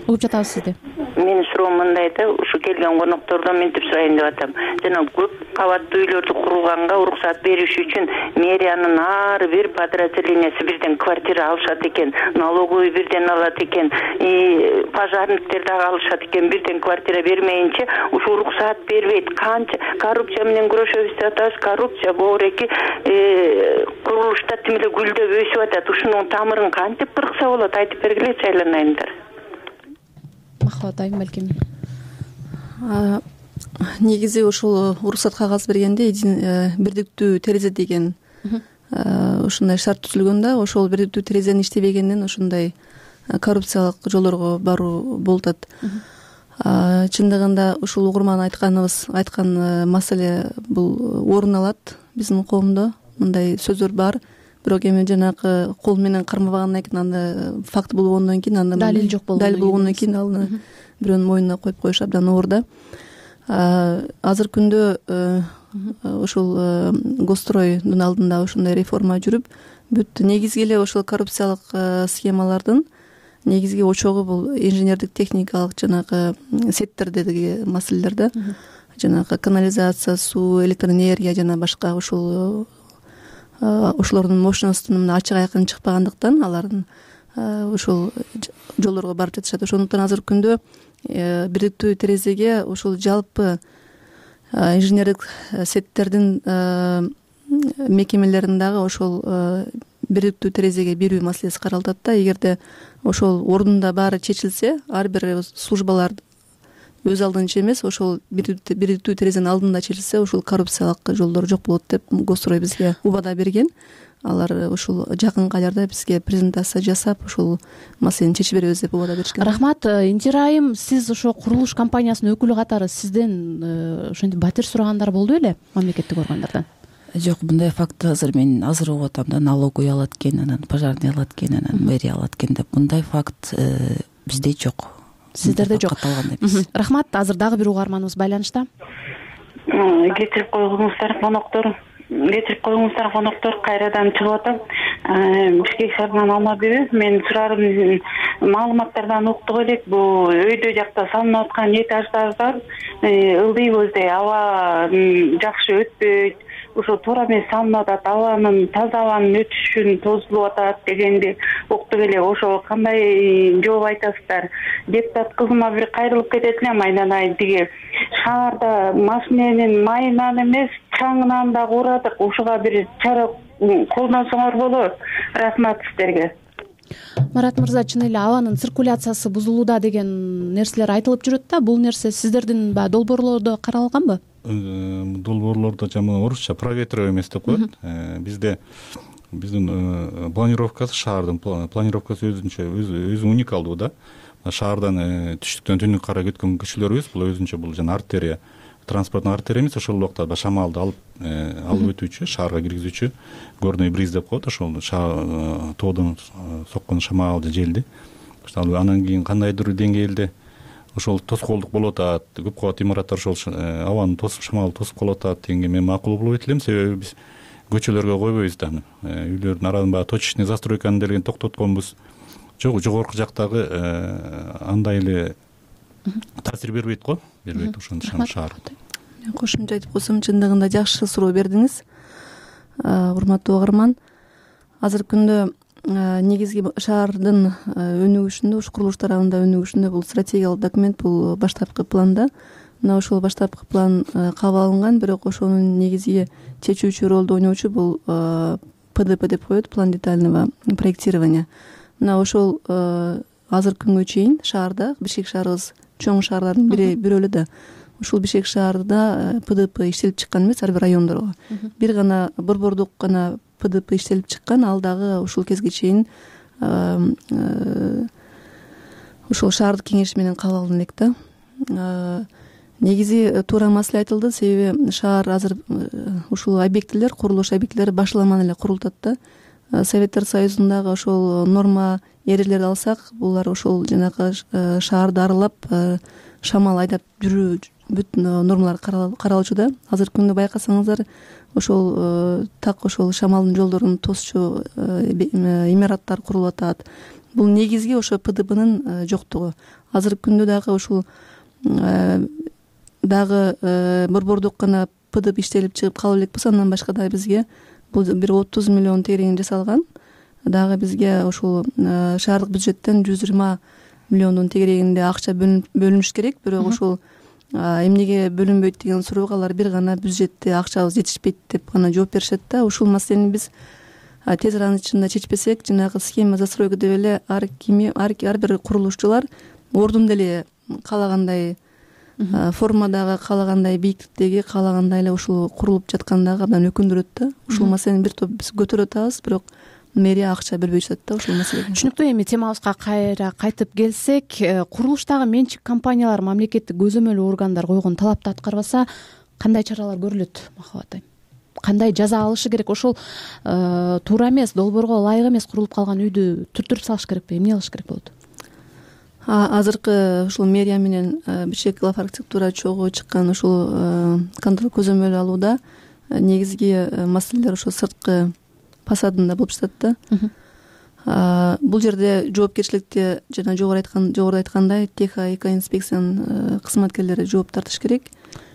Угуп жатабыз сизди. Менин суроом мындай да, ушу келген коноктордон мынтип сурайын деп атам. Жана көп кабаттуу үйлөрдү курганга уруксат бериш үчүн мэриянын ар бир подразделениясы бирден квартира алышат экен, налоговый бирден алат экен, пожарниктер дагы алышат экен. Бирден квартира бермейинче ушу уруксат бербейт. Канча коррупция менен күрөшөбүз деп атабыз. Коррупция боореки курулушта тим эле гүлдөп өсүп атат. Ушунун тамырын кантип кыркса болот, айтып бергилечи айланайымдар. Махабат айым балким. Негизи ушул уруксат кагаз бергенде бирдиктүү терезе деген ушундай шарт түзүлгөн да, ошол бирдиктүү терезенин иштебегенинен ушундай коррупциялык жолдорго баруу болуп атат. Чындыгында ушул угурман айтканыбыз айткан маселе бул орун алат биздин коомдо. Мындай сөздөр бар. Бирок эми жанагы кол менен кармабагандан кийин анда факт болгондон кийин андан далил жок болгондон далил болгондон кийин ал бирөөнүн мойнуна коюп коюш абдан оор да. Азыркы күндө ушул Госстройдун алдында ушундай реформа жүрүп, бүт негизги эле ошол коррупциялык схемалардын негизги очогу бул инженердик техникалык жанагы сеттердеги маселелер да. Жанагы канализация, суу, электр энергия жана башка ушул ошолордун мощностунун ачык айкын чыкпагандыктан алардын ушул жолдорго барып жатышат. Ошондуктан азыркы күндө бирдиктүү терезеге ушул жалпы инженердик сеттердин мекемелерин дагы ошол бирдиктүү терезеге берүү маселеси каралып атат да. Эгерде ошол ордунда баары чечилсе, ар бир службалар өз алдынча эмес, ошол бирдиктүү терезенин алдында чечилсе, ушул коррупциялык жолдор жок болот деп Госстрой бизге убада берген. Алар ушул жакынкы айларда бизге презентация жасап, ушул маселени чечип беребиз деп убада беришкен. Рахмат. Интира айым, сиз ошо курулуш компаниясынын өкүлү катары сизден ошентип батир сурагандар болду беле мамлекеттик органдардан? Жок, мындай факт азыр мен азыр угуп атам да, налоговый алат экен, анан пожарный алат экен, анан мэрия алат экен деп. Мындай факт бизде жок. Сиздерде жок. Рахмат. Азыр дагы бир угарманыбыз байланышта. Кетирип койгуңуздар коноктор. Кетирип койгуңуздар коноктор, кайрадан чыгып атам. Бишкек шаарынан Алмабек. Мен сурарым маалыматтардан уктук элек, бул өйдө жакта салынып аткан этаждар бар. Ылдыйбыздай аба жакшы өтпөйт. Ошо туура эмес салынып атат, абанын таза абанын өтүшүн тозулуп атат дегенди уктук эле. Ошого кандай жооп айтасыздар? Депутат кызыма бир кайрылып кетет элем, айланайын тиги шаарда машиненин майынан эмес, чаңынан да урадык. Ошого бир чара колдонсоңор болот. Рахмат сиздерге. Марат мырза, чын эле абанын циркуляциясы бузулууда деген нерселер айтылып жүрөт да. Бул нерсе сиздердин баягы долбоорлордо каралганбы? Долбоорлордо жаман орусча проветривание эмес деп коет. Бизде биздин планировкасы, шаардын планировкасы өзүнчө өзү уникалдуу да. Шаардан түштүктөн түнүккө карай кеткен көчөлөрүбүз бул өзүнчө, бул жана артерия, транспорттун артерия эмес, ошол убакта шамалды алып алып өтүүчү, шаарга киргизүүчү горный бриз деп коет. Ошол тоодон соккон шамалды желди. Анан кийин кандайдыр деңгээлде ошол тоскоолдук болуп атат, көп кабат имараттар ошол абаны тосуп, шамалды тосуп калып атат дегенге мен макул болбойт элем. Себеби биз көчөлөргө койбойбуз да, үйлөрдүн арасын баягы точечный застройканы делген токтотконбуз. Жок, жогорку жактагы андай эле таасир бербейт го, бербейт ошондо шаар. Мен кошумча айтып койсом, чындыгында жакшы суроо бердиңиз, урматтуу угарман. Азыркы күндө негизги шаардын өнүгүшүндө, ушу курулуш тарабында өнүгүшүндө бул стратегиялык документ, бул баштапкы планда. Мына ошол баштапкы план кабыл алынган, бирок ошонун негизги чечүүчү ролду ойноочу бул П Д П деп коет, план детального проектирования. Мына ошол азыркы күнгө чейин шаарда, Бишкек шаарыбыз чоң шаарлардын бири бирөө эле да. Ушул Бишкек шаарында П Д П иштелип чыккан эмес, ар бир райондорго. Бир гана борбордук гана П Д П иштелип чыккан, ал дагы ушул кезге чейин ушул шаардык кеңеш менен кабыл алына элек да. Негизи туура маселе айтылды, себеби шаар азыр ушул объектилер, курулуш объектилери башламан эле курулуп атат да. Советтер Союзундагы ошол норма эрежелерди алсак, булар ошол жанагы шаарды аралап шамал айдап жүрүү бүт нормалар каралуучу да. Азыркы күндө байкасаңыздар ошол так ошол шамалдын жолдорун тосчу имараттар курулуп атат. Бул негизги ошо П Д Бнын жоктугу. Азыркы күндө дагы ушул дагы борбордук гана П Д Б иштелип чыгып кала элек болсо, андан башка дагы бизге бул бир отуз миллион тегерегин жасалган. Дагы бизге ошол шаардык бюджеттен жүз жыйырма миллиондун тегерегинде акча бөлүнүш керек. Бирок ошол эмнеге бөлүнбөйт деген суроого алар бир гана бюджетте акчабыз жетишпейт деп гана жооп беришет да. Ушул маселени биз тез аранын ичинде чечпесек, жанагы схема застройка деп эле ар кими ар бир курулушчулар ордунда эле каалагандай формадагы, каалагандай бийиктиктеги, каалагандай эле ушул курулуп жаткандагы абдан өкүндүрөт да. Ушул маселени бир топ биз көтөрүп атабыз, бирок мэрия акча бербей жатат да ушул маселеге. Түшүнүктүү. Эми темабызга кайра кайтып келсек, курулуштагы менчик компаниялар мамлекеттик көзөмөл органдар койгон талапты аткарбаса кандай чаралар көрүлөт, Махабат айым? Кандай жаза алышы керек? Ошол туура эмес, долбоорго ылайык эмес курулуп калган үйдү түрттүрүп салыш керекпи? Эмне кылыш керек болот? Азыркы ушул мэрия менен бишкек глав архитектура чогуу чыккан ушул контроль көзөмөл алууда негизги маселелер ошо сырткы фасадында болуп жатат да. Бул жерде жоопкерчиликти жана жогору айткан жогоруда айткандай Техо экоинспекциянын кызматкерлери жооп тартыш керек.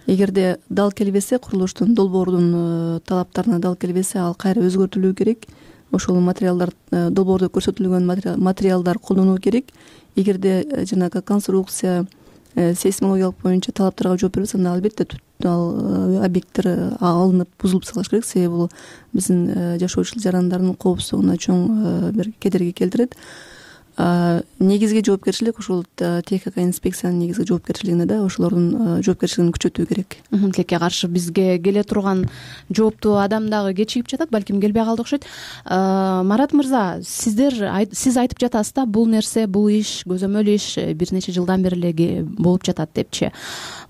Эгерде дал келбесе, курулуштун долбоордун талаптарына дал келбесе, ал кайра өзгөртүлүү керек. Ошол материалдар, долбоордо көрсөтүлгөн материалдар колдонулуу керек. Эгерде жанагы конструкция сейсмологиялык боюнча талаптарга жооп бербесе, анда албетте ал объекттер алынып бузулуп салыш керек. Себеби бул биздин жашоочу жарандардын коопсуздугуна чоң бир кедерги келтирет. Негизги жоопкерчилик ушул техника инспекциянын негизги жоопкерчилигинде да, ошолордун жоопкерчилигин күчөтүү керек. Тилекке каршы бизге келе турган жооптуу адам дагы кечигип жатат, балким келбей калды окшойт. Марат мырза, сиздер сиз айтып жатасыз да, бул нерсе, бул иш, көзөмөл иш бир нече жылдан бери эле болуп жатат депчи.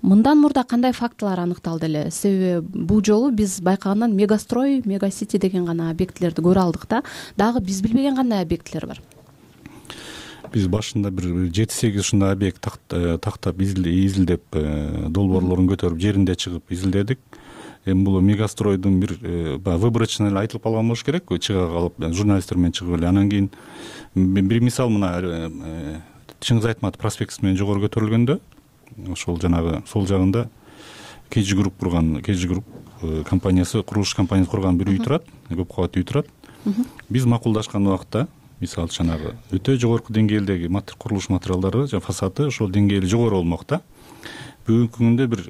Мындан мурда кандай фактылар аныкталды эле? Себеби бул жолу биз байкагандан мегастрой, мегасити деген гана объектилерди көрө алдык да. Дагы биз билбеген кандай объектилер бар? Биз башында бир жети сегиз ушундай объект тактап изилдеп, долбоорлорун көтөрүп, жеринде чыгып изилдедик. Эми бул мегастройдун бир выборочно эле айтылып калган болуш керек, чыга калып журналисттер менен чыгып эле. Анан кийин бир мисал мына Чыңгыз Айтматов проспектisi менен жогору көтөрүлгөндө, ошол жанагы сол жагында Кежи групп курган, Кежи групп компаниясы, курулуш компаниясы курган бир үй турат, көп кабаттуу үй турат. Биз макулдашкан убакта, мисалы жанагы өтө жогорку деңгээлдеги курулуш материалдары, жана фасады ошол деңгээли жогору болмок да. Бүгүнкү күндө бир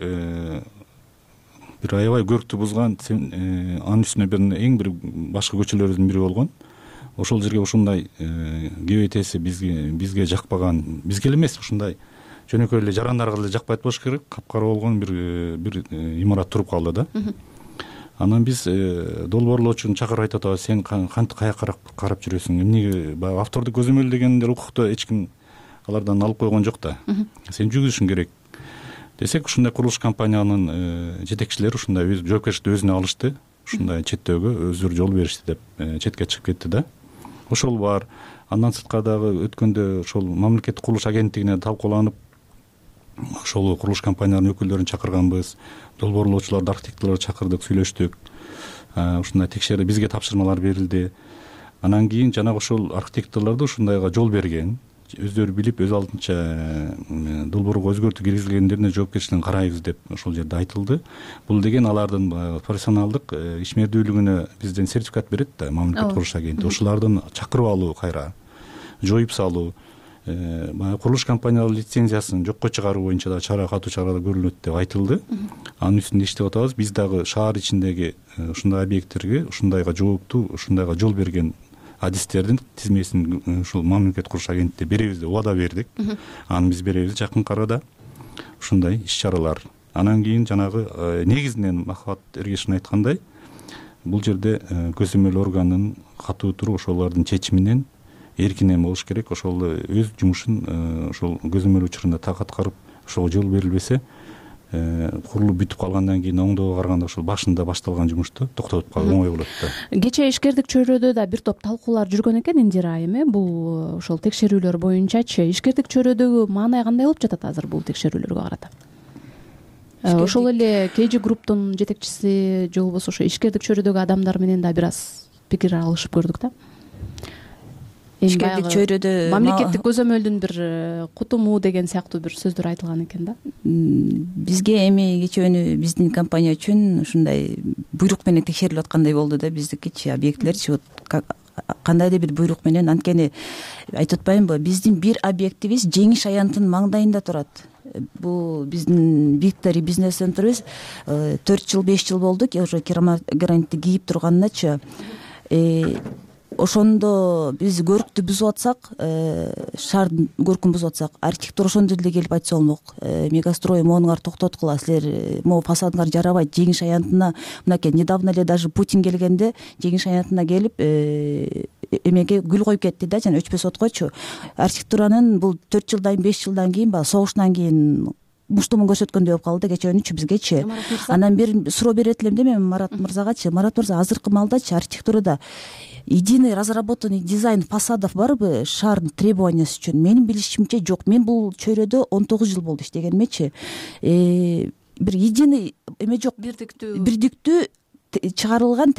бир аябай көрктү бузган, анын үстүнө бир эң бир башкы көчөлөрдүн бири болгон. Ошол жерге ушундай кебетеси бизге бизге жакпаган, бизге эле эмес, ушундай жөнөкөй эле жарандарга эле жакпайт болуш керек, капкара болгон бир бир имарат туруп калды да. Анан биз долбоорлоочуну чакырып айтып атабыз, сен кантип каяка карап жүрөсүң, эмнеге баягы автордук көзөмөл дегендер укукта эч ким алардан алып койгон жок да. Сен жүргүзүшүң керек десек, ушундай курулуш компаниянын жетекчилери ушундай өз жоопкерчиликти өзүнө алышты, ушундай четтөөгө өздөрү жол беришти деп четке чыгып кетти да. Ошол бар. Андан сырткары дагы өткөндө ошол мамлекеттик курулуш агенттигине талкууланып, ошол курулуш компанияларынын өкүлдөрүн чакырганбыз, долбоорлоочуларды, архитекторлорду чакырдык, сүйлөштүк. Ушундай текшерүү бизге тапшырмалар берилди. Анан кийин жанагы ошол архитекторлорду ушундайга жол берген, өздөрү билип, өз алдынча долбоорго өзгөртүү киргизилгендерине жоопкерчилигин карайбыз деп ошол жерде айтылды. Бул деген алардын профессионалдык ишмердүүлүгүнө бизден сертификат берет да мамлекеттик курулуш агенттиги. Ошолордун чакырып алуу, кайра жоюп салуу, баягы курулуш компаниялар лицензиясын жокко чыгаруу боюнча да чара катуу чаралар көрүлөт деп айтылды. Анын үстүндө иштеп атабыз. Биз дагы шаар ичиндеги ушундай объекттерге, ушундайга жооптуу, ушундайга жол берген адистердин тизмесин ушул мамлекеттик курулуш агенттигине беребиз деп убада бердик. Аны биз беребиз жакын арада. Ушундай иш-чаралар. Анан кийин жанагы негизинен Махабат Эргешовдун айткандай, бул жерде көзөмөл органынын катуу туруп ошолордун чечиминен эркинен болуш керек. Ошол өз жумушун ошол көзөмөл учурунда так аткарып, ошого жол берилбесе, курулуп бүтүп калгандан кийин оңдоого караганда ошол башында башталган жумушту токтотуп калуу оңой болот да. Кечээ ишкердик чөйрөдө да бир топ талкуулар жүргөн экен, Индира айым, э бул ошол текшерүүлөр боюнчачы ишкердик чөйрөдөгү маанай кандай болуп жатат азыр бул текшерүүлөргө карата? ошол эле kg групптун жетекчиси же болбосо ошо ишкердик чөйрөдөгү адамдар менен да бир аз пикир алышып көрдүк да. Ишкердик чөйрөдө мамлекеттик көзөмөлдүн бир кутуму деген сыяктуу бир сөздөр айтылган экен да. Бизге эми кечөөнү биздин компания үчүн ушундай буйрук менен текшерилип аткандай болду да, биздикичи объектилерчи вот кандайдыр бир буйрук менен. Анткени айтып атпаймынбы, биздин бир объектибиз Жеңиш аянтынын маңдайында турат. Бул биздин Victory бизнес центрибиз төрт жыл беш жыл болду уже керамогранитти кийип турганыначы. Ошондо биз көрктү бузуп атсак, шаардын көркүн бузуп атсак, архитектор ошондо деле келип айтса болмок. Мегастрой моуңар токтоткула, силер могу фасадыңар жарабайт, Жеңиш аянтына мынакей недавно эле даже Путин келгенде Жеңиш аянтына келип эмеге гүл коюп кетти да, жана өчпөс откойчу. Архитектуранын бул төрт жылдан беш жылдан кийин баягы согуштан кийин муштумун көрсөткөндөй болуп калды кечөөнүчү бизгечи. Анан бир суроо берет элем да мен Марат мырзагачы. Марат мырза, азыркы малдачы архитектурада единый разработанный дизайн фасадов барбы шаардын требованиясы үчүн? Менин билишимче жок. Мен бул чөйрөдө он тогуз жыл болду иштегенимечи. Бир единый эме жок. Бирдиктүү бирдиктүү чыгарылган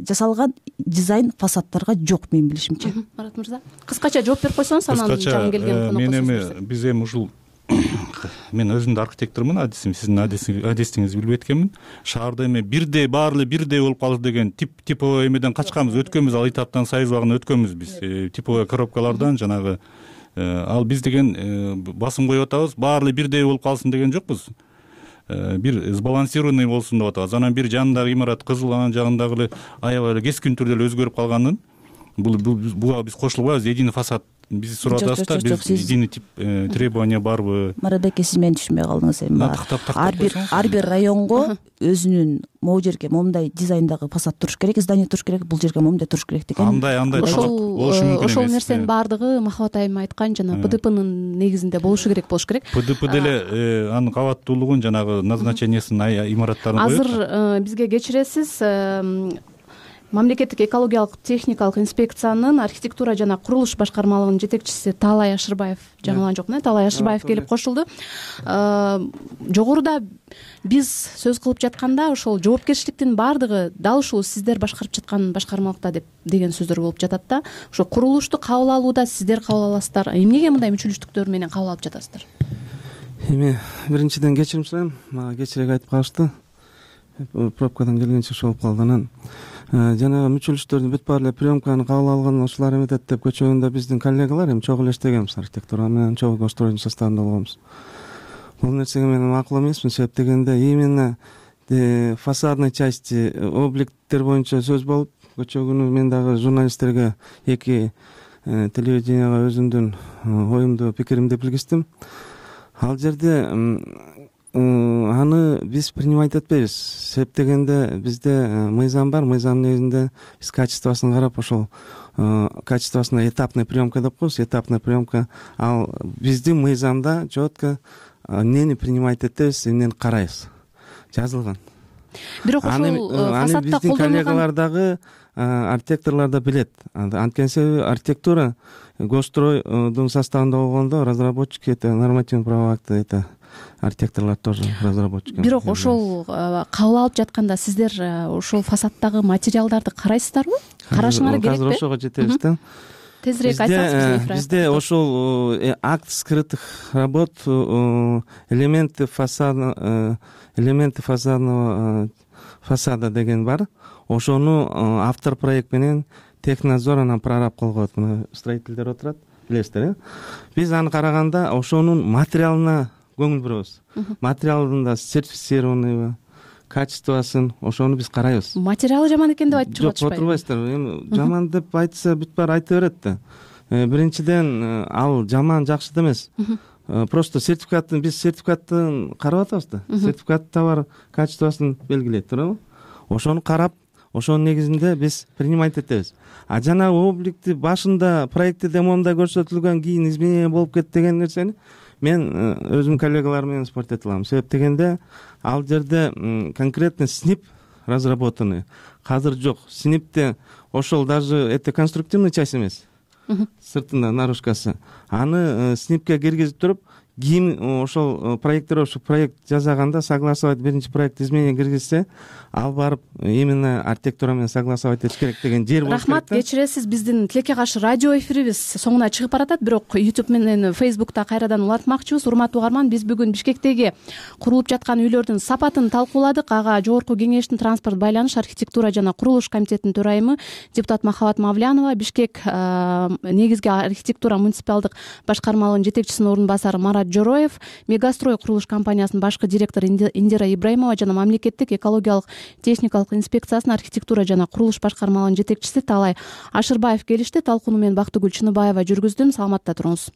жасалган дизайн фасадтарга жок менин билишимче. Марат мырза, кыскача жооп берип койсоңуз, анан жаңы келген конокко. Мен эми биз эми ушул мен өзүм да архитектормун, адисим сиздин адисиңизди билбейт экенмин. Шаарда эми бирдей баары эле бирдей болуп калды деген тип типовой эмеден качканбыз, өткөнбүз, ал этаптан союз убагында өткөнбүз биз. Типовой коробкалардан жанагы ал биз деген басым коюп атабыз, баары эле бирдей болуп калсын деген жокпуз. Бир сбалансированный болсун деп атабыз. Анан бир жанындагы имарат кызыл, анан жагындагы эле аябай эле кескин түрдө эле өзгөрүп калганын бул буга биз кошулбайбыз. Единый фасад биз сурап атабыз да, биз единый тип требования барбы? Марат эке, сиз мени түшүнбөй калдыңыз эми. Ар бир ар бир районго өзүнүн могу жерге момундай дизайндагы фасад туруш керек, здание туруш керек, бул жерге момундай туруш керек деген. Андай андай болушу мүмкүн эмес. Ошол нерсенин баардыгы Махабат айым айткан жана ПДПнын негизинде болушу керек болуш керек. ПДП деле анын кабаттуулугун жанагы назначениясын имараттарын коет. Азыр бизге кечиресиз, мамлекеттик экологиялык техникалык инспекциянын архитектура жана курулуш башкармалыгынын жетекчиси Таалай Ашырбаев, жаңылган жокмун, Таалай Ашырбаев келип кошулду. Жогоруда биз сөз кылып жатканда ошол жоопкерчиликтин баардыгы дал ушул сиздер башкарып жаткан башкармалыкта деп деген сөздөр болуп жатат да. Ошо курулушту кабыл алууда сиздер кабыл аласыздар. Эмнеге мындай мүчөлүштүктөр менен кабыл алып жатасыздар? Эми биринчиден кечирим сурайм, мага кечирээк айтып калышты. Пробкадан келгенче ошол болуп калды. Анан жана мүчөлүштөрдүн бүт баары эле приемканы кабыл алган ушулар эметет деп көчөгөндө биздин коллегалар эми чогуу эле иштегенбиз, архитектура менен чогуу госстроенин составында болгонбуз. Бул нерсеге мен макул эмесмин, себеп дегенде именно фасадный части объекттер боюнча сөз болуп, көчө күнү мен дагы журналисттерге эки телевиденияга өзүмдүн оюмду, пикиримди билгиздим. Ал жерде аны биз принимать этпейбиз. Себеп дегенде бизде мыйзам бар, мыйзамдын негизинде биз качествосын карап, ошол качествосуна этапный приемка деп коебуз, этапный приемка. Ал биздин мыйзамда четко эмнени принимать этебиз, эмнени карайбыз, жазылган. Бирок ошол фасадда биздин коллегалар дагы, архитекторлор да билет. Анткени себеби архитектура госстройдун составында болгондо разработчик это нормативный правовой акты, это архитекторлор тоже разработчик. Бирок ошол кабыл алып жатканда сиздер ошол фасаддагы материалдарды карайсыздарбы? Карашыңар керекпи? Азыр ошого жетебиз да. Тезирээк айтсаңыз. Бизде ошол акт скрытых работ, элементы фасада, элементы фасадного фасада деген бар. Ошону автор проект менен технадзор анан прораб кылып коет. Строительдер отурат, билесиздер, э? Биз аны караганда ошонун материалына көңүл бурабыз. Материалында сертифицированныйбы, качествосын, ошону биз карайбыз. Материалы жаман экен деп айтып чыгып атышпайбы? Жок, отурбайсыздар. Эми жаман деп айтса бүт баары айта берет да. Биринчиден ал жаман жакшы эмес. Просто сертификатын биз сертификатын карап атабыз да. Сертификатта бар качествосын белгилейт, туурабы? Ошону карап, ошонун негизинде биз принимать этебиз. А жана объекти башында проектте момундай көрсөтүлгөн, кийин изменение болуп кетти деген нерсени мен өзүм коллегалар менен спорт эте алам. Себеп дегенде ал жерде конкретно снип разработанный. Азыр жок. Снипте ошол даже это конструктивный часть эмес. Сыртында наружкасы. Аны снипке киргизип туруп, кийин ошол проектировщик проект жасаганда согласовать биринчи проект изменение киргизсе ал барып именно архитектура менен согласовать этиш керек деген жер болуш керек. Рахмат, кечиресиз, биздин тилекке каршы радио эфирибиз соңуна чыгып баратат, бирок YouTube менен Facebook'та кайрадан улантмакчыбыз. Урматтуу угарман, биз бүгүн Бишкектеги курулуп жаткан үйлөрдүн сапатын талкууладык. Ага Жогорку Кеңештин транспорт байланыш, архитектура жана курулуш комитетинин төрайымы депутат Махабат Мавлянова, Бишкек негизги архитектура муниципалдык башкармалыгынын жетекчисинин орун басары Марат Жороев, Мегастрой курулуш компаниясынын башкы директору Индира Ибраимова жана мамлекеттик экологиялык техникалык инспекциясынын архитектура жана курулуш башкармалыгынын жетекчиси Таалай Ашырбаев келишти. Талкууну мен Бактыгүл Чыныбаева жүргүздүм. Саламатта туруңуз.